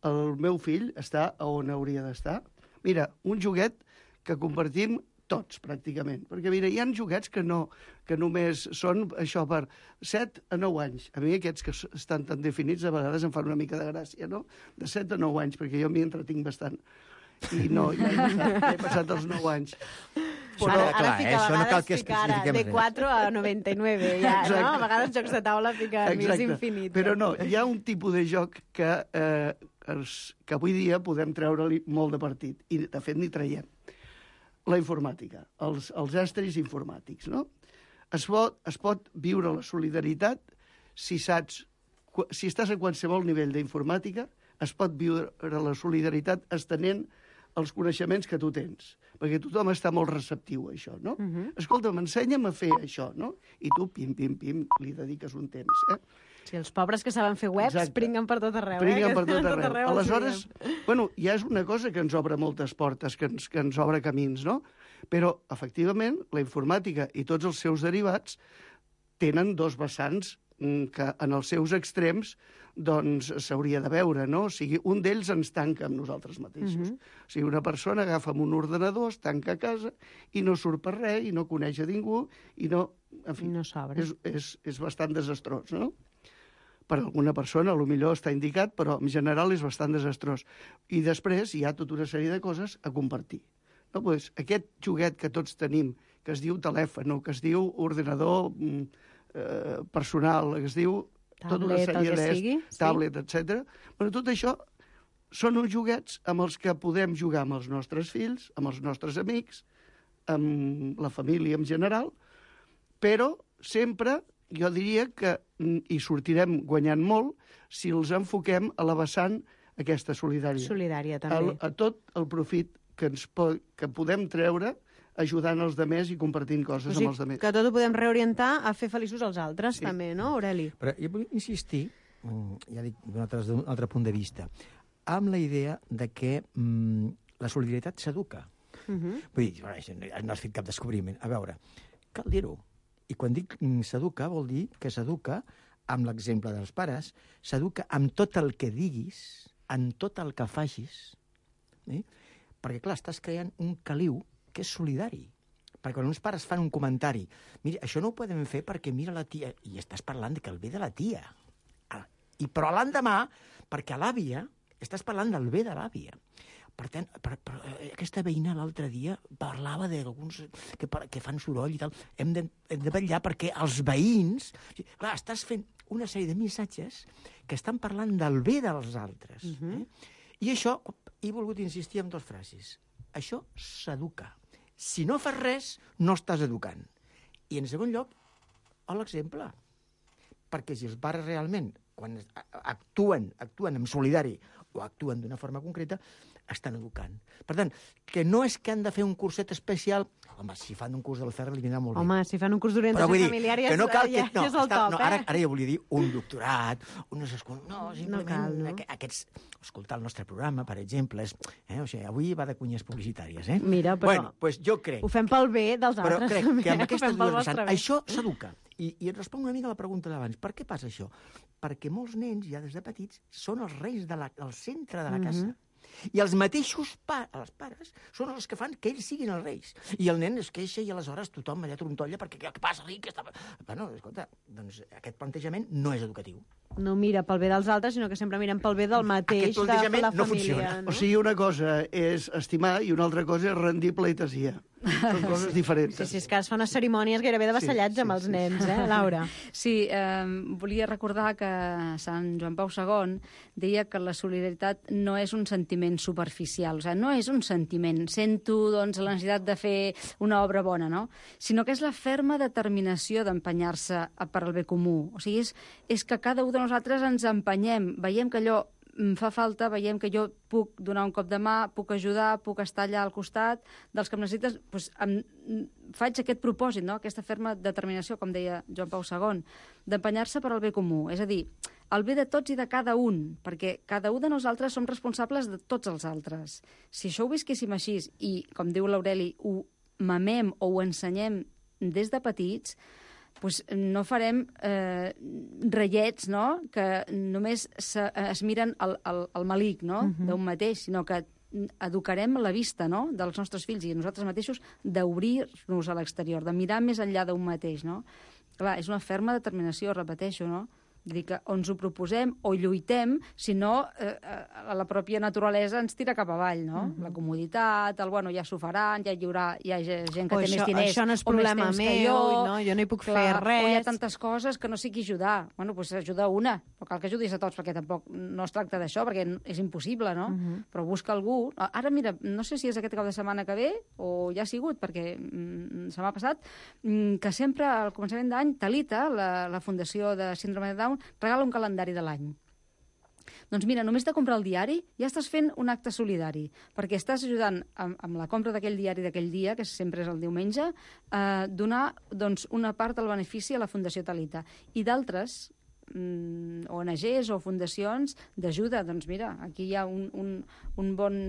el meu fill està on hauria d'estar. Mira, un joguet que compartim tots, pràcticament. Perquè, mira, hi ha joguets que només són això per 7 a 9 anys. A mi aquests que estan tan definits a vegades em fan una mica de gràcia, no? De 7 a 9 anys, perquè jo m'hi entretinc bastant. I no, ja he passat els 9 anys. Però, ara això no cal que especifiquem de 4 a 99, ja, no? A vegades jocs de taula fiquen més infinit. Però no, hi ha un tipus de joc que avui dia podem treure-li molt de partit. I, de fet, n'hi traiem. La informàtica, els estris informàtics, no? es pot viure la solidaritat si estàs a qualsevol nivell d'informàtica, es pot viure la solidaritat estenent els coneixements que tu tens, perquè tothom està molt receptiu a això, no? Escolta'm, ensenya'm a fer això, no? I tu, pim, li dediques un temps, Sí, els pobres que saben fer webs pringuen per tot arreu. Pringuen per tot arreu. Aleshores, bueno, ja és una cosa que ens obre moltes portes, que ens obre camins, no? Però, efectivament, la informàtica i tots els seus derivats tenen dos vessants que en els seus extrems doncs s'hauria de veure, no? O sigui, un d'ells ens tanca amb nosaltres mateixos. O sigui, una persona agafa amb un ordenador, es tanca a casa i no surt per res, i no coneix a ningú, i no... En fi, no s'obre. És bastant desastrós, no? Per alguna persona, potser està indicat, però en general és bastant desastrós. I després hi ha tota una sèrie de coses a compartir. No? Pues, aquest joguet que tots tenim, que es diu telèfon, que es diu ordenador personal, que es diu tota una sèrie tablet, etc. Bueno, tot això són uns joguets amb els que podem jugar amb els nostres fills, amb els nostres amics, amb la família en general, però sempre jo diria que hi sortirem guanyant molt si els enfoquem a la vessant aquesta solidària. Solidària, també. A tot el profit que podem treure ajudant els demés i compartint coses amb els demés. Que tot ho podem reorientar a fer feliços els altres, també, no, Aureli? Però jo vull insistir, ja dic d'un altre punt de vista, amb la idea de que la solidaritat s'educa. Vull dir, no has fet cap descobriment. A veure, cal dir-ho. I quan dic s'educa, vol dir que s'educa amb l'exemple dels pares, s'educa amb tot el que diguis, amb tot el que facis, perquè, clar, estàs creant un caliu que és solidari. Perquè quan uns pares fan un comentari, mira, això no ho podem fer perquè mira la tia, i estàs parlant que el bé de la tia. Però l'endemà, perquè a l'àvia, estàs parlant del bé de l'àvia. Per tant, aquesta veïna l'altre dia parlava d'alguns que fan soroll i tal. Hem de vetllar perquè els veïns... Clar, estàs fent una sèrie de missatges que estan parlant del bé dels altres. I això, he volgut insistir en dues frases. Això s'educa. Si no fas res, no estàs educant. I, en segon lloc, l'exemple. Perquè si els pares realment, quan actuen amb solidari o actuen d'una forma concreta, estan educant. Per tant, que no és que han de fer un curset especial... Home, si fan un curs del Ferrer, li vindrà molt bé. Home, si fan un curs d'orientació familiar ja és el top, Ara ja volia dir un doctorat, simplement aquests... Escoltar el nostre programa, per exemple, o sigui, avui va de cunyes publicitàries, Mira, però... Bueno, doncs jo crec... Ho fem pel bé dels altres. Però crec que amb aquestes dues vessants, això s'educa. I et responc una mica a la pregunta d'abans. Per què passa això? Perquè molts nens, ja des de petits, són els reis del centre de la casa. I els mateixos els pares són els que fan que ells siguin els reis. I el nen es queixa i aleshores tothom allà trontolla perquè què passa aquí? Bueno, escolta, doncs aquest plantejament no és educatiu. No mira pel bé dels altres, sinó que sempre miren pel bé del mateix, de la família. No funciona. O sigui, una cosa és estimar i una altra cosa és rendir pleitesia. Són coses diferents. Sí, és que es fa unes cerimònies gairebé de vassallatge amb els nens, Laura? Sí, volia recordar que Sant Joan Pau II deia que la solidaritat no és un sentiment superficial, o sigui, no és un sentiment, sento doncs, la necessitat de fer una obra bona, no? Sinó que és la ferma determinació d'empenyar-se per al bé comú. O sigui, és que cada un de nosaltres ens empenyem, veiem que allò fa falta, veiem que jo puc donar un cop de mà, puc ajudar, puc estar allà al costat dels que em necessites, doncs faig aquest propòsit, no? Aquesta ferma determinació, com deia Joan Pau II, d'empenyar-se per al bé comú, és a dir, el bé de tots i de cada un, perquè cada un de nosaltres som responsables de tots els altres. Si això ho visquéssim així i, com diu l'Aureli, ho mamem o ho ensenyem des de petits, doncs no farem reiets, no?, que només es miren el malic, no?, d'un mateix, sinó que educarem la vista, no?, dels nostres fills i nosaltres mateixos d'obrir-nos a l'exterior, de mirar més enllà d'un mateix, no? Clar, és una ferma determinació, repeteixo, no?, Vull dir que o ens ho proposem o lluitem, si no, la pròpia naturalesa ens tira cap avall, no? La comoditat, bueno, ja s'ho faran, hi ha gent que té més diners això no és o més problema temps que meu, jo. no? Jo no hi puc Clar, fer res. O hi ha tantes coses que no sé qui ajudar. Bueno, doncs ajuda una, però cal que ajudis a tots, perquè tampoc no es tracta d'això, perquè és impossible, no? Però busca algú. Ara, mira, no sé si és aquest cap de setmana que ve o ja ha sigut, perquè se m'ha passat, que sempre al començament d'any Talita, la Fundació de Síndrome de Down, regala un calendari de l'any. Doncs mira, només de comprar el diari ja estàs fent un acte solidari, perquè estàs ajudant amb la compra d'aquell diari d'aquell dia, que sempre és el diumenge, a donar doncs, una part del benefici a la Fundació Talita. I d'altres ONGs o fundacions d'ajuda. Doncs mira, aquí hi ha un bon...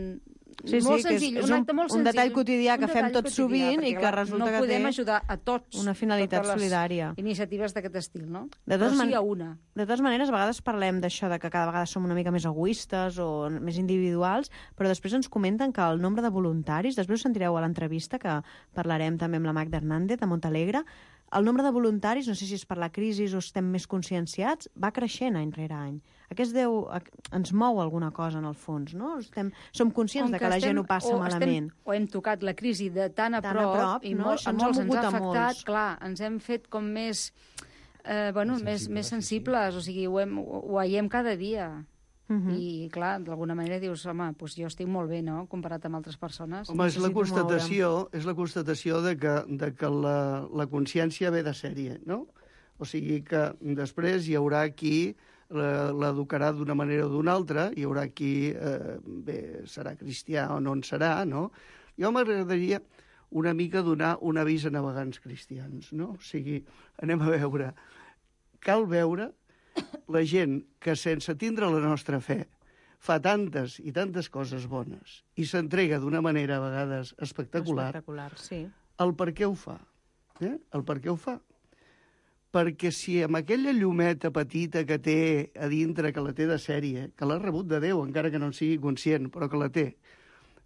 Sí, molt sí, senzill, és un acte molt senzill. un detall quotidià que fem tot sovint i que resulta no que podem té ajudar a tots una finalitat totes les solidària. Iniciatives d'aquest estil, no? Però sí hi ha una. De totes maneres, a vegades parlem d'això, de que cada vegada som una mica més egoistes o més individuals, però després ens comenten que el nombre de voluntaris, després ho sentireu a l'entrevista, que parlarem també amb la Magda Hernández, de Montalegre, el nombre de voluntaris, no sé si és per la crisi o estem més conscienciats, va creixent any rere any. Ens mou alguna cosa, en el fons, no? Som conscients de que la gent ho passa malament. O hem tocat la crisi de tan a prop i no? a molts ens ha afectat, clar, ens hem fet com més, més sensibles, o sigui, ho veiem cada dia. I, clar, d'alguna manera dius, home, doncs jo estic molt bé, no?, comparat amb altres persones. Home, és la constatació de que la consciència ve de sèrie, no? O sigui que després hi haurà qui l'educarà d'una manera o d'una altra, hi haurà qui, serà cristià o no en serà, no? Jo m'agradaria una mica donar un avís a navegants cristians, no? O sigui, anem a veure. Cal veure la gent que sense tindre la nostra fe fa tantes i tantes coses bones i s'entrega d'una manera a vegades espectacular, sí. El per què ho fa. El per què ho fa. Perquè si amb aquella llumeta petita que té a dintre, que la té de sèrie, que l'ha rebut de Déu, encara que no en sigui conscient, però que la té,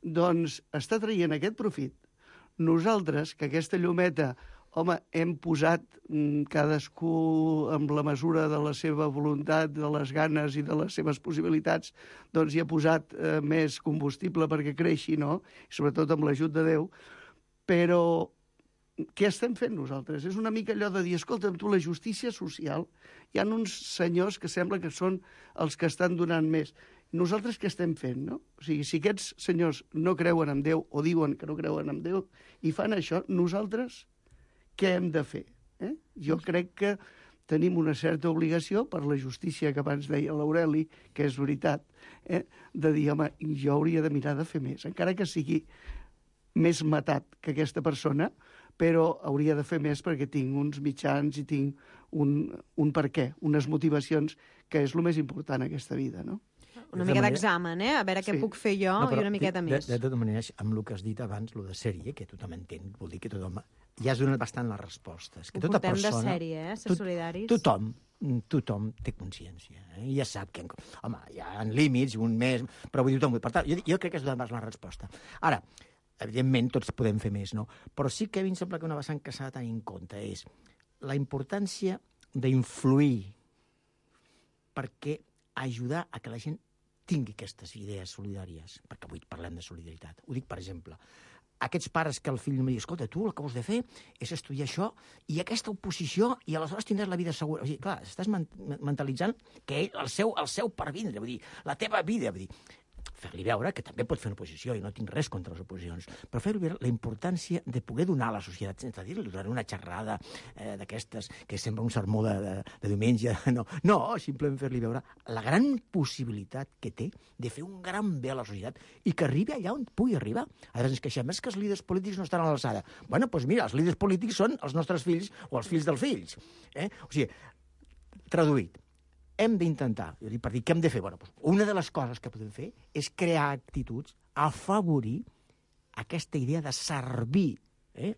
doncs està traient aquest profit. Nosaltres, que aquesta llumeta, home, hem posat cadascú amb la mesura de la seva voluntat, de les ganes i de les seves possibilitats, doncs hi ha posat més combustible perquè creixi, no? I sobretot amb l'ajut de Déu. Però què estem fent nosaltres? És una mica allò de dir, escolta'm, tu, la justícia social, hi ha uns senyors que sembla que són els que estan donant més. Nosaltres què estem fent, no? O sigui, si aquests senyors no creuen en Déu o diuen que no creuen en Déu i fan això, nosaltres què hem de fer? Jo crec que tenim una certa obligació per la justícia que abans deia l'Aureli, que és veritat, de dir, home, jo hauria de mirar de fer més, encara que sigui més matat que aquesta persona, però hauria de fer més perquè tinc uns mitjans i tinc un per què, unes motivacions, que és el més important en aquesta vida, no? Una mica d'examen, a veure què puc fer jo i una miqueta més. De totes maneres, amb el que has dit abans, el de sèrie, que tothom entén, vol dir que tothom... Ja has donat bastant les respostes. Que ho portem de sèrie, ser solidaris. Tothom té consciència. I ja sap que... Home, hi ha límits, un mes... Però vull dir, tothom... Per tant, jo crec que has donat la resposta. Ara, evidentment, tots podem fer més, no? Però sí que a mi em sembla que una vessant que s'ha de tenir en compte és la importància d'influir perquè ajudar a que la gent tingui aquestes idees solidàries, perquè avui parlem de solidaritat. Ho dic, per exemple, aquests pares que el fill em diu, escolta, tu el que vols de fer és estudiar això i aquesta oposició i aleshores tindràs la vida segura. O sigui, clar, estàs mentalitzant que ell, el seu pervindre, vull dir, la teva vida, vull dir, fer-li veure que també pot fer una oposició, i no tinc res contra les oposicions, però fer-li veure la importància de poder donar a la societat, sense dir-li durant una xerrada d'aquestes, que sembla un sermó de diumenge, no, simplement fer-li veure la gran possibilitat que té de fer un gran bé a la societat i que arribi allà on pugui arribar. A vegades ens queixem, és que els líders polítics no estan a l'alçada. Bueno, doncs mira, els líders polítics són els nostres fills o els fills dels fills. O sigui, traduït, hem d'intentar, per dir què hem de fer, una de les coses que podem fer és crear actituds, afavorir aquesta idea de servir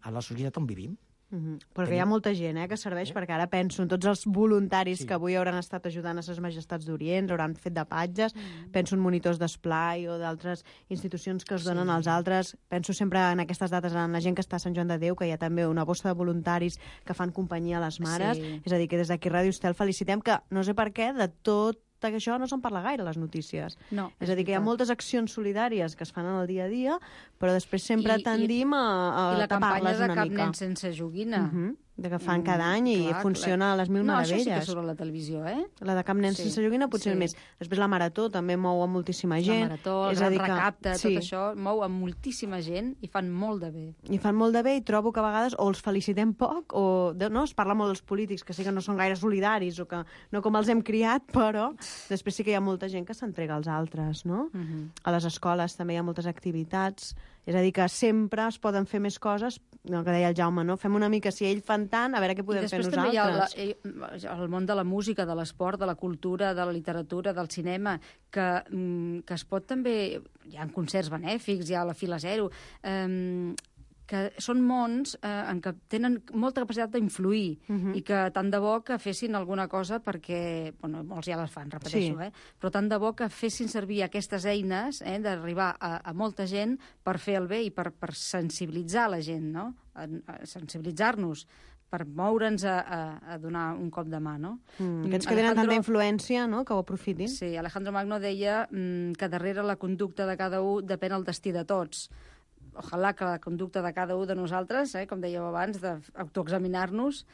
a la societat on vivim. Perquè hi ha molta gent que serveix, perquè ara penso en tots els voluntaris que avui hauran estat ajudant a ses majestats d'Orient, hauran fet de patges, penso en monitors d'esplai o d'altres institucions que es donen als altres, penso sempre en aquestes dates, en la gent que està a Sant Joan de Déu, que hi ha també una bossa de voluntaris que fan companyia a les mares, és a dir, que des d'aquí Ràdio Estel felicitem que, no sé per què, de tot que això no se'n parla gaire a les notícies. No, és a dir, que hi ha moltes accions solidàries que es fan en el dia a dia, però després sempre tendim a la campanya tapar-les de una Cap mica. nen sense joguina. De que fan cada any i funciona a les mil meravelles. No, això sí que surt a la televisió, La de Cap nen sense joguina potser més. Després la Marató també mou a moltíssima gent. La Marató, el Gran Recapte, tot això mou a moltíssima gent i fan molt de bé. I fan molt de bé i trobo que a vegades o els felicitem poc o es parla molt dels polítics que sí que no són gaire solidaris o que no com els hem criat, però després sí que hi ha molta gent que s'entrega als altres, no? A les escoles també hi ha moltes activitats. És a dir, que sempre es poden fer més coses, el que deia el Jaume, no? Fem una mica, si ells fan tant, a veure què podem fer nosaltres. I després també hi ha el món de la música, de l'esport, de la cultura, de la literatura, del cinema, que es pot també... Hi ha concerts benèfics, hi ha la Fila Zero... que són mons en què tenen molta capacitat d'influir i que tant de bo que fessin alguna cosa perquè, bueno, molts ja les fan, repeteixo, però tant de bo que fessin servir aquestes eines d'arribar a molta gent per fer el bé i per sensibilitzar la gent, no? Sensibilitzar-nos per moure'ns a donar un cop de mà, no? Aquests que tenen tanta influència, no?, que ho aprofitin. Sí, Alejandro Magno deia que darrere la conducta de cada un depèn el destí de tots. Ojalà que la conducta de cada un de nosaltres, com dèieu abans, d'autoexaminar-nos,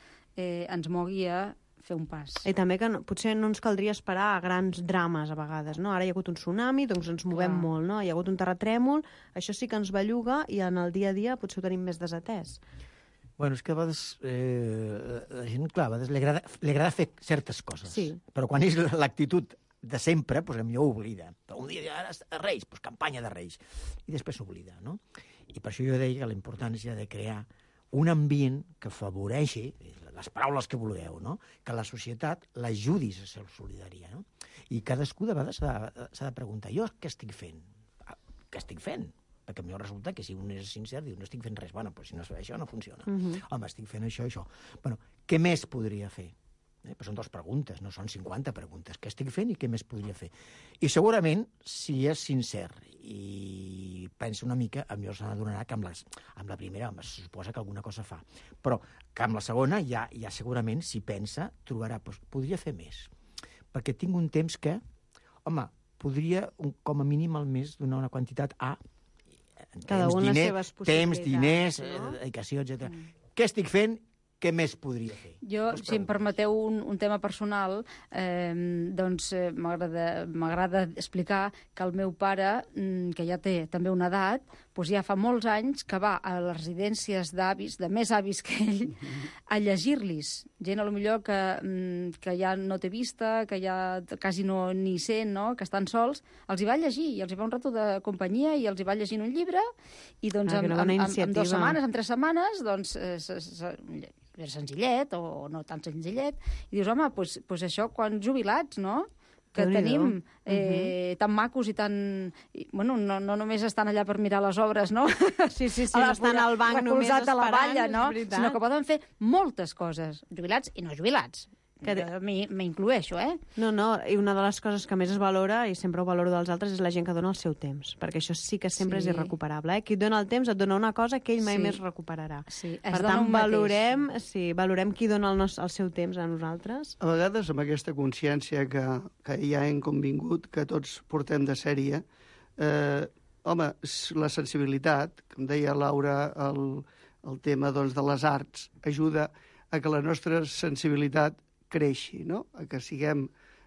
ens mogui a fer un pas. I també que potser no ens caldria esperar a grans drames a vegades, no? Ara hi ha hagut un tsunami, doncs ens movem molt, no? Hi ha hagut un terratrèmol, això sí que ens belluga i en el dia a dia potser ho tenim més desatès. Bueno, és que a vegades la gent, clar, a vegades li agrada fer certes coses, però quan és l'actitud de sempre, doncs potser oblida. Però un dia de Reis, doncs campanya de Reis. I després s'oblida, no? I per això jo deia que l'important és de crear un ambient que afavoreixi, les paraules que vulgueu, no? Que la societat l'ajudis a ser solidària, no? I cadascú de vegades s'ha de preguntar, jo què estic fent? Què estic fent? Perquè potser resulta que si un és sincer diu no estic fent res, bueno, però si no es fa això no funciona. Home, estic fent això. Bueno, què més podria fer? Però són 2 preguntes, no són 50 preguntes. Què estic fent i què més podria fer? I segurament, si és sincer i pensa una mica, potser se n'adonarà que amb la primera se suposa que alguna cosa fa. Però que amb la segona ja segurament, si pensa, trobarà, podria fer més. Perquè tinc un temps que, home, podria, com a mínim al mes, donar una quantitat a temps, diners, dedicació, etc. Què estic fent? Què més podria fer? Jo, si em permeteu un tema personal, doncs m'agrada explicar que el meu pare, que ja té també una edat, doncs ja fa molts anys que va a les residències d'avis, de més avis que ell, a llegir-los. Gent, potser que ja no té vista, que ja quasi no ni sent, no? Que estan sols, els hi va llegir, i els hi va un rato de companyia, i els hi va llegint un llibre, i doncs en 2 setmanes, en 3 setmanes, doncs senzillet o no tan senzillet, i dius, home, doncs això quan jubilats, no?, que tenim tan macos i tan... Bueno, no només estan allà per mirar les obres, no? Sí, no estan al banc només esperant, a la valla, no? Sinó que poden fer moltes coses, jubilats i no jubilats. M'incloeixo, No, i una de les coses que més es valora, i sempre ho valoro dels altres, és la gent que dona el seu temps, perquè això sí que sempre és irrecuperable. Qui dona el temps et dona una cosa que ell mai més recuperarà. Per tant, valorem qui dona el seu temps a nosaltres. A vegades, amb aquesta consciència que ja hem convingut, que tots portem de sèrie, home, la sensibilitat, com deia Laura, el tema de les arts, ajuda a que la nostra sensibilitat creixi, no?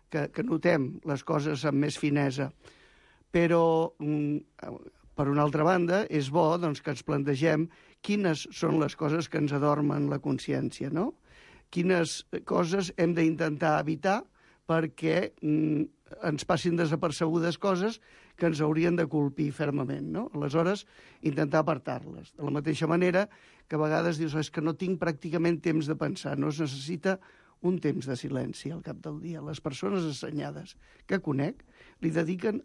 Que notem les coses amb més finesa. Però, per una altra banda, és bo que ens plantegem quines són les coses que ens adormen la consciència, no? Quines coses hem d'intentar evitar perquè ens passin desapercebudes coses que ens haurien de colpir fermament, no? Aleshores, intentar apartar-les. De la mateixa manera que a vegades dius és que no tinc pràcticament temps de pensar, no es necessita un temps de silenci al cap del dia. Les persones assenyades que conec li dediquen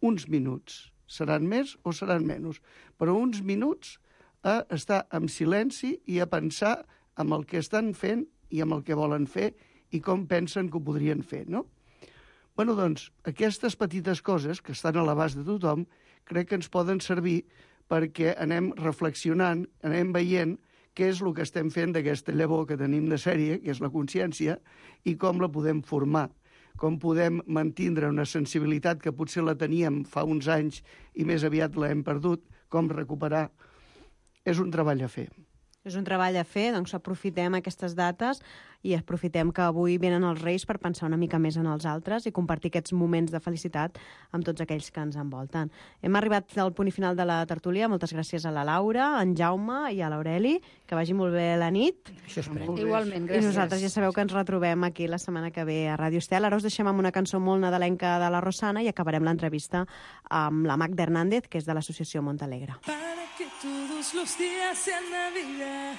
uns minuts. Seran més o seran menys, però uns minuts a estar en silenci i a pensar amb el que estan fent i amb el que volen fer i com pensen que ho podrien fer, no? Bueno, doncs, aquestes petites coses que estan a l'abast de tothom crec que ens poden servir perquè anem reflexionant, anem veient què és el que estem fent d'aquesta llavor que tenim de sèrie, que és la consciència, i com la podem formar, com podem mantindre una sensibilitat que potser la teníem fa uns anys i més aviat l'hem perdut, com recuperar. És un treball a fer. És un treball a fer, doncs aprofitem aquestes dates i aprofitem que avui venen els Reis per pensar una mica més en els altres i compartir aquests moments de felicitat amb tots aquells que ens envolten. Hem arribat al punt final de la tertúlia. Moltes gràcies a la Laura, a en Jaume i a l'Aureli. Que vagi molt bé la nit. Això esperem. Igualment, gràcies. I nosaltres ja sabeu que ens retrobem aquí la setmana que ve a Ràdio Estel. Ara us deixem amb una cançó molt nadalenca de la Rosana i acabarem l'entrevista amb la Magda Hernández, que és de l'associació Montalegre. Para que todos los días sean Navidad,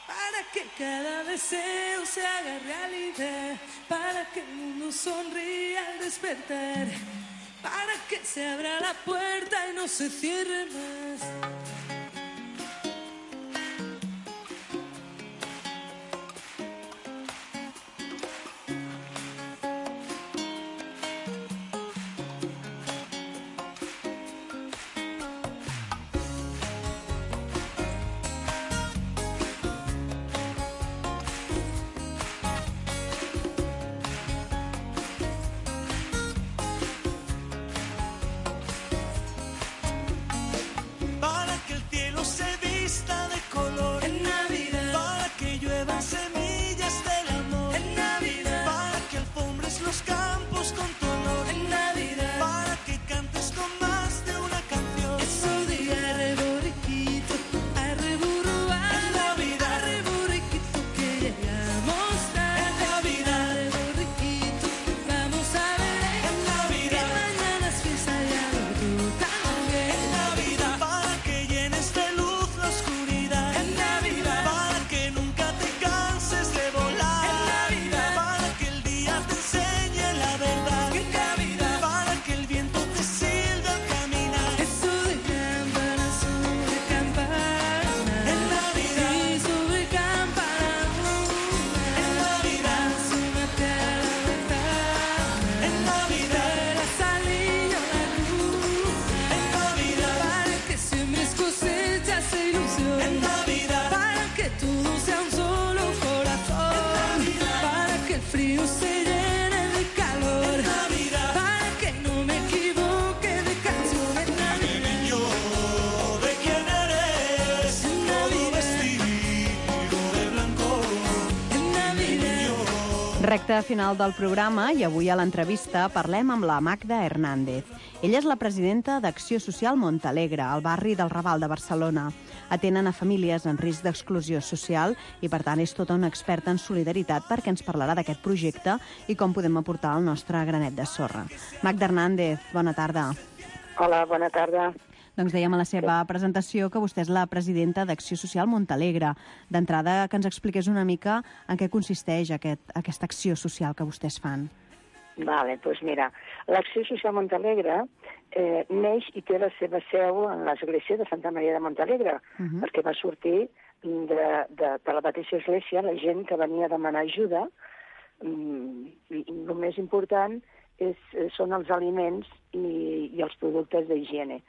para que cada deseo se haga realidad, para que el mundo sonría al despertar, para que se abra la puerta y no se cierre más. Recte final del programa i avui a l'entrevista parlem amb la Magda Hernández. Ella és la presidenta d'Acció Social Montalegre, al barri del Raval de Barcelona. Atenen a famílies en risc d'exclusió social i, per tant, és tota una experta en solidaritat perquè ens parlarà d'aquest projecte i com podem aportar el nostre granet de sorra. Magda Hernández, bona tarda. Hola, bona tarda. Doncs dèiem a la seva presentació que vostè és la presidenta d'Acció Social Montalegre. D'entrada, que ens expliqués una mica en què consisteix aquesta acció social que vostès fan. Vale, doncs mira, l'Acció Social Montalegre neix i té la seva seu en l'església de Santa Maria de Montalegre, perquè va sortir de la mateixa església la gent que venia a demanar ajuda. I el més important són els aliments i els productes d'higiene.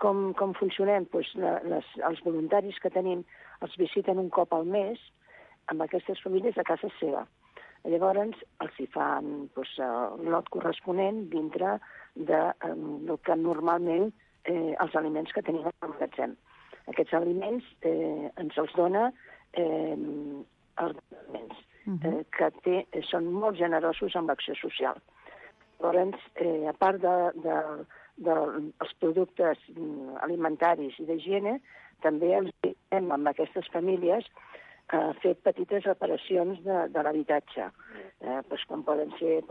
Com funcionem? Els voluntaris que tenim els visiten un cop al mes amb aquestes famílies a casa seva. Llavors els hi fan el lot corresponent dintre del que normalment els aliments que tenim al magatzem. Aquests aliments ens els dona els aliments que són molt generosos amb l'acció social. Llavors, a part dels productes alimentaris i d'higiene, també els anem amb aquestes famílies a fer petites reparacions de l'habitatge, com poden ser,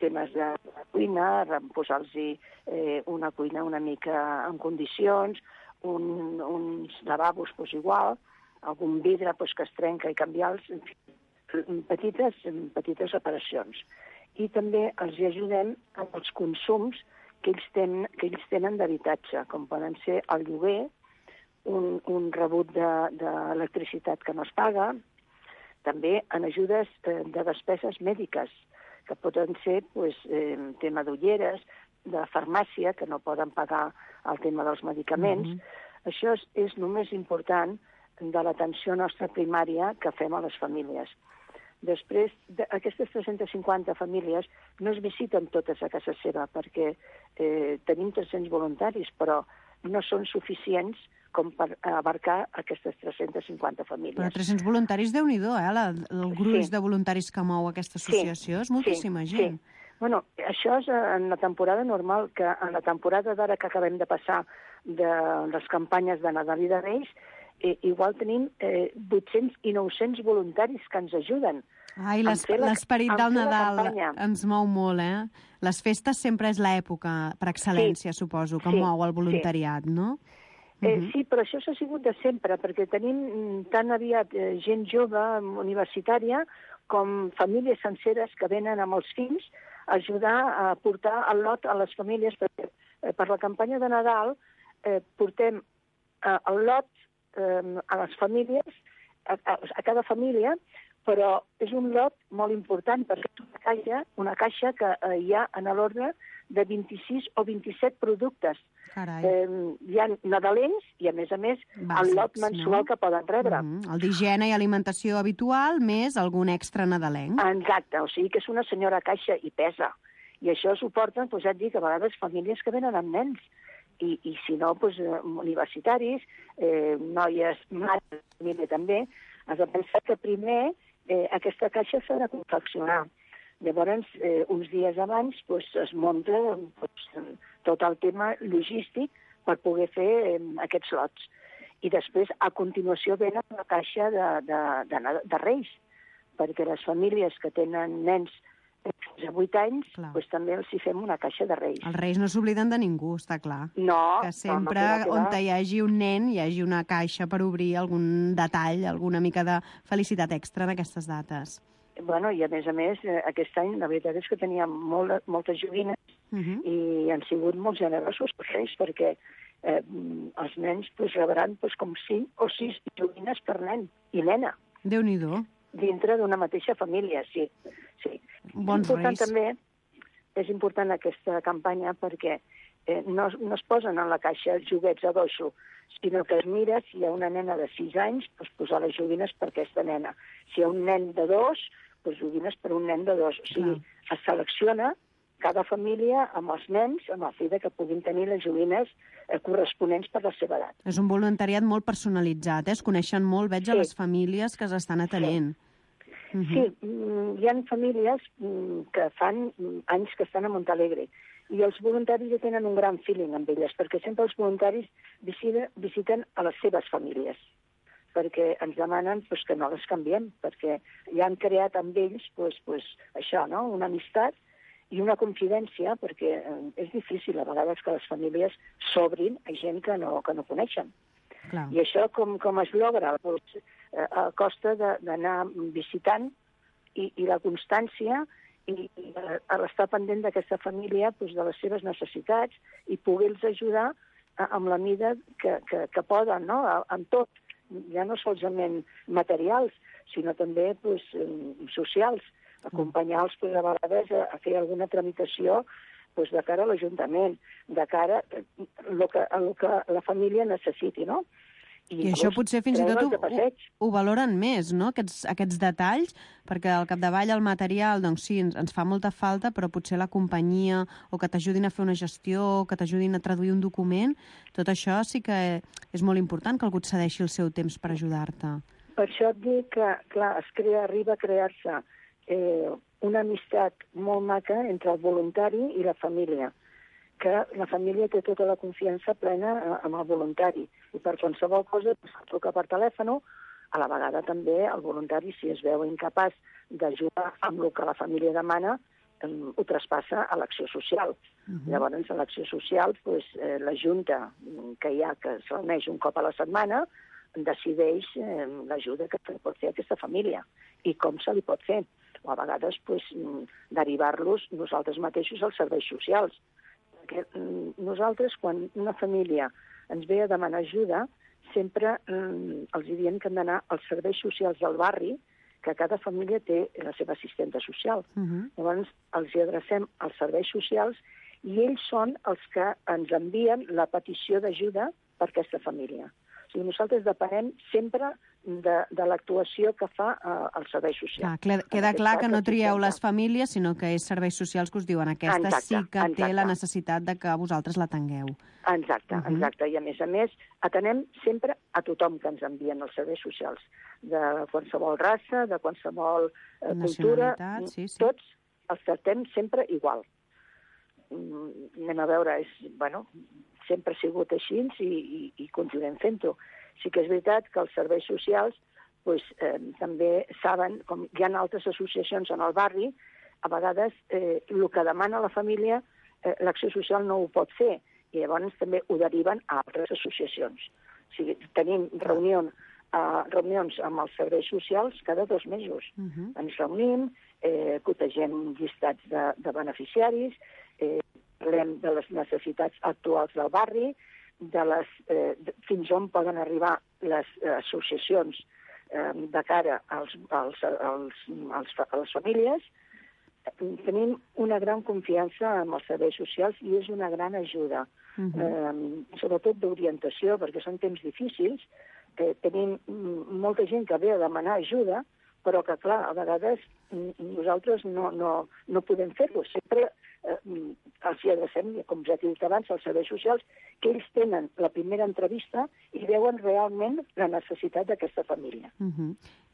temes de cuina, posar-los una cuina una mica en condicions, uns lavabos igual, algun vidre que es trenca i canviar-los, petites reparacions. I també els ajudem amb els consums que ells tenen d'habitatge, com poden ser el lloguer, un rebut d'electricitat que no es paga, també en ajudes de despeses mèdiques, que poden ser tema d'ulleres, de farmàcia, que no poden pagar el tema dels medicaments. Això és només important de l'atenció nostra primària que fem a les famílies. Després, aquestes 350 famílies no es visiten totes a casa seva, perquè tenim 300 voluntaris, però no són suficients com per abarcar aquestes 350 famílies. Però 300 voluntaris, Déu-n'hi-do, el gruix de voluntaris que mou aquesta associació és moltíssima gent. Sí. Bueno, això és en la temporada normal, que en la temporada d'ara que acabem de passar de les campanyes de Nadal i de Reis, igual tenim 800 i 900 voluntaris que ens ajuden. Ai, l'esperit del Nadal ens mou molt, Les festes sempre és l'època, per excel·lència, suposo, que mou el voluntariat, no? Sí, però això s'ha sigut de sempre, perquè tenim tan aviat gent jove, universitària, com famílies senceres que venen amb els fills a ajudar a portar el lot a les famílies, perquè per la campanya de Nadal portem el lot a les famílies, a cada família, però és un lot molt important perquè és una caixa que hi ha en l'ordre de 26 o 27 productes. Hi ha nadalencs i, a més, el lot mensual que poden rebre. El d'higiene i alimentació habitual, més algun extra nadalenc. Exacte, o sigui que és una senyora caixa i pesa. I això suporten, ja et dic, a vegades famílies que venen amb nens. I si no, universitaris, noies, mares, família també. Has de pensar que primer aquesta caixa s'ha de confeccionar. Llavors, uns dies abans es munta tot el tema logístic per poder fer aquests lots. I després, a continuació, venen la caixa de Reis, perquè les famílies que tenen nens fins a 8 anys, també els hi fem una caixa de Reis. Els Reis no s'obliden de ningú, està clar. No. Que sempre, on hi hagi un nen, hi hagi una caixa per obrir algun detall, alguna mica de felicitat extra en aquestes dates. Bueno, i a més, aquest any la veritat és que teníem moltes joguines i han sigut molt generosos per ells, perquè els nens rebran com 5 o 6 joguines per nen i nena. Déu-n'hi-do. Dintre d'una mateixa família, sí. Bons Reis. També és important aquesta campanya perquè no es posen en la caixa joguets a doixo, sinó que es mira si hi ha una nena de 6 anys, posar les joguines per aquesta nena. Si hi ha un nen de 2, joguines per un nen de 2. O sigui, es selecciona cada família amb els nens, amb el fi que puguin tenir les joguines corresponents per la seva edat. És un voluntariat molt personalitzat, es coneixen molt, veig, a les famílies que s'estan atenent. Sí, hi ha famílies que fan anys que estan a Montalegre i els voluntaris ja tenen un gran feeling amb elles, perquè sempre els voluntaris visiten a les seves famílies, perquè ens demanen que no les canviem, perquè ja han creat amb ells això, una amistat i una confidència, perquè és difícil a vegades que les famílies s'obrin a gent que no coneixen. Clar. I això com es logra? A costa d'anar visitant i la constància i l'estar pendent d'aquesta família, de les seves necessitats i poder-los ajudar amb la mida que poden, no? En tot, ja no solament materials, sinó també socials, acompanyar-los a vegades a fer alguna tramitació de cara a l'Ajuntament, de cara a el que la família necessiti, no? I això potser fins i tot ho valoren més, no?, aquests detalls, perquè al capdavall el material, doncs sí, ens fa molta falta, però potser la companyia, o que t'ajudin a fer una gestió, o que t'ajudin a traduir un document, tot això sí que és molt important que algú et cedeixi el seu temps per ajudar-te. Per això et dic que, clar, arriba a crear-se una amistat molt maca entre el voluntari i la família, que la família té tota la confiança plena amb el voluntari. I per qualsevol cosa truca per telèfon, a la vegada també el voluntari, si es veu incapaç d'ajudar amb el que la família demana, ho traspassa a l'acció social. Llavors, a l'acció social, la junta que hi ha, que es reuneix un cop a la setmana, decideix l'ajuda que pot fer aquesta família i com se li pot fer. O a vegades derivar-los nosaltres mateixos als serveis socials. perquè nosaltres, quan una família ens ve a demanar ajuda, sempre els diem que han d'anar als serveis socials del barri, que cada família té la seva assistenta social. Llavors, els hi adrecem als serveis socials i ells són els que ens envien la petició d'ajuda per aquesta família. O sigui, nosaltres depenem sempre de l'actuació que fa els serveis socials. Queda clar que no trieu les famílies, sinó que és serveis socials que us diuen aquesta sí que té la necessitat de que vosaltres l'atengueu. Exacte. I a més, atenem sempre a tothom que ens envien els serveis socials, de qualsevol raça, de qualsevol cultura, tots els tractem sempre igual. Anem a veure, sempre ha sigut així i continuem fent-ho. Sí que és veritat que els serveis socials també saben, com hi ha altres associacions en el barri, a vegades el que demana la família, l'acció social no ho pot fer, i llavors també ho deriven a altres associacions. O sigui, tenim reunions amb els serveis socials cada 2 mesos. Ens reunim, cotegem llistats de beneficiaris, parlem de les necessitats actuals del barri, fins on poden arribar les associacions de cara a les famílies. Tenim una gran confiança en els serveis socials i és una gran ajuda, sobretot d'orientació, perquè són temps difícils. Tenim molta gent que ve a demanar ajuda, però que, clar, a vegades nosaltres no podem fer-ho. Sempre els hi adrecem, com ja he dit abans, als serveis socials, que ells tenen la primera entrevista i veuen realment la necessitat d'aquesta família.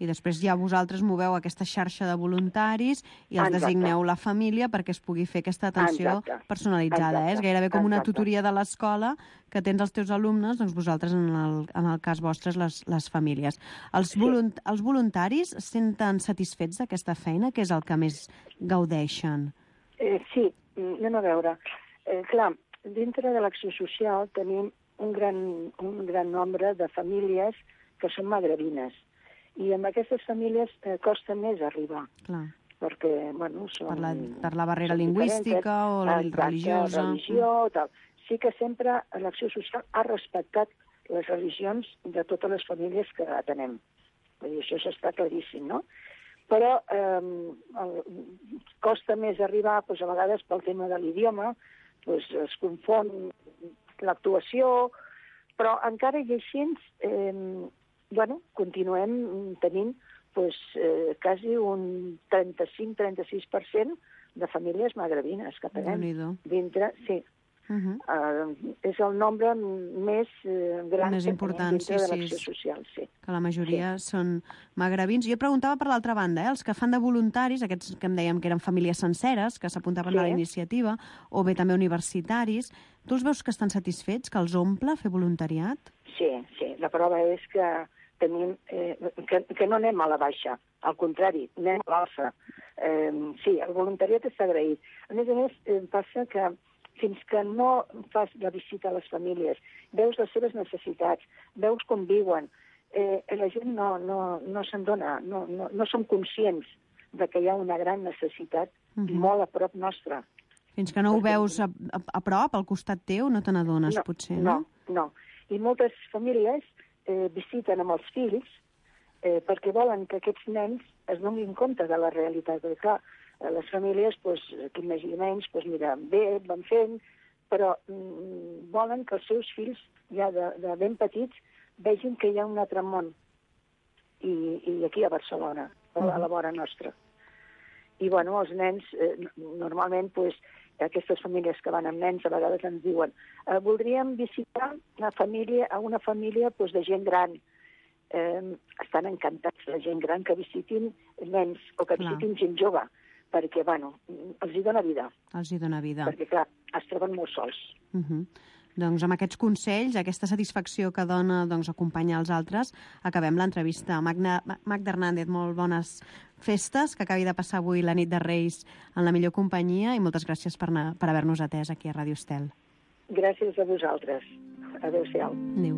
I després ja vosaltres moveu aquesta xarxa de voluntaris i els designeu la família perquè es pugui fer aquesta atenció personalitzada. És gairebé com una tutoria de l'escola que tens els teus alumnes, doncs vosaltres, en el cas vostres, les famílies. Els voluntaris es senten satisfets d'aquesta feina? Què és el que més gaudeixen? Sí, anem a veure. Clar, dintre de l'acció social tenim un gran nombre de famílies que són magrebines. I amb aquestes famílies costa més arribar. Clar. Perquè, són... Per la barrera lingüística o la religiosa. Religió, tal. Sí que sempre l'acció social ha respectat les religions de totes les famílies que atenem. Vull dir, això està claríssim, no? Però costa més arribar, a vegades pel tema de l'idioma, es confon l'actuació, però encara i així continuem tenint quasi un 35-36% de famílies magrebines que tenem dintre, sí. És el nombre més gran més important, dintre de l'acció social, sí. Que la majoria són magrebins. Jo preguntava per l'altra banda, els que fan de voluntaris, aquests que em dèiem que eren famílies senceres, que s'apuntaven a la iniciativa, o bé també universitaris, tu els veus que estan satisfets, que els omple fer voluntariat? Sí. La prova és que tenim que no anem a la baixa, al contrari, anem a l'alça. Sí, el voluntariat està agraït. A més, passa que fins que no fas la visita a les famílies, veus les seves necessitats, veus com viuen, la gent no se'n dona, no som conscients de que hi ha una gran necessitat molt a prop nostra. Fins que no ho veus a prop, al costat teu, no te n'adones, potser, no? No. I moltes famílies visiten amb els fills perquè volen que aquests nens es donin compte de la realitat. Perquè, clar, les famílies, qui més i menys, van fent, però volen que els seus fills, ja de ben petits, vegin que hi ha un altre món. I aquí a Barcelona, a la vora nostra. I, els nens, normalment, aquestes famílies que van amb nens, a vegades ens diuen voldríem visitar una família de gent gran. Estan encantats la gent gran que visitin nens o que visitin gent jove, perquè, els hi dona vida. Els hi dona vida. Perquè, clar, es troben molt sols. Doncs amb aquests consells, aquesta satisfacció que dona acompanyar els altres, acabem l'entrevista. Magda Hernández, molt bones festes, que acabi de passar avui la nit de Reis en la millor companyia i moltes gràcies per haver-nos atès aquí a Ràdio Estel. Gràcies a vosaltres. Adéu-siau. Adéu.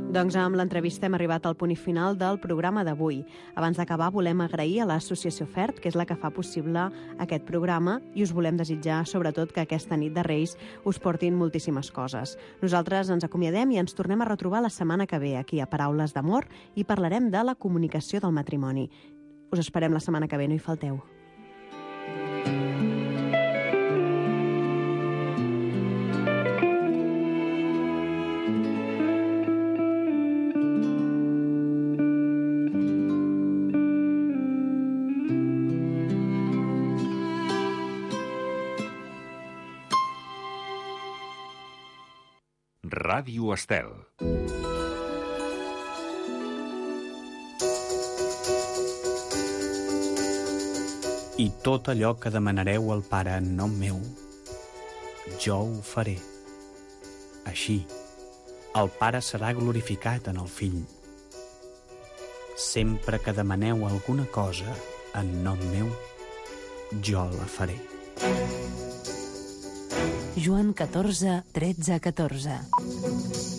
Doncs amb l'entrevista hem arribat al punt final del programa d'avui. Abans d'acabar, volem agrair a l'Associació FERT, que és la que fa possible aquest programa, i us volem desitjar, sobretot, que aquesta nit de Reis us portin moltíssimes coses. Nosaltres ens acomiadem i ens tornem a retrobar la setmana que ve aquí a Paraules d'Amor i parlarem de la comunicació del matrimoni. Us esperem la setmana que ve, no hi falteu. Ràdio Estel. I tot allò que demanareu al Pare en nom meu, jo ho faré. Així, el Pare serà glorificat en el Fill. Sempre que demaneu alguna cosa en nom meu, jo la faré. Joan 14, 13, 14.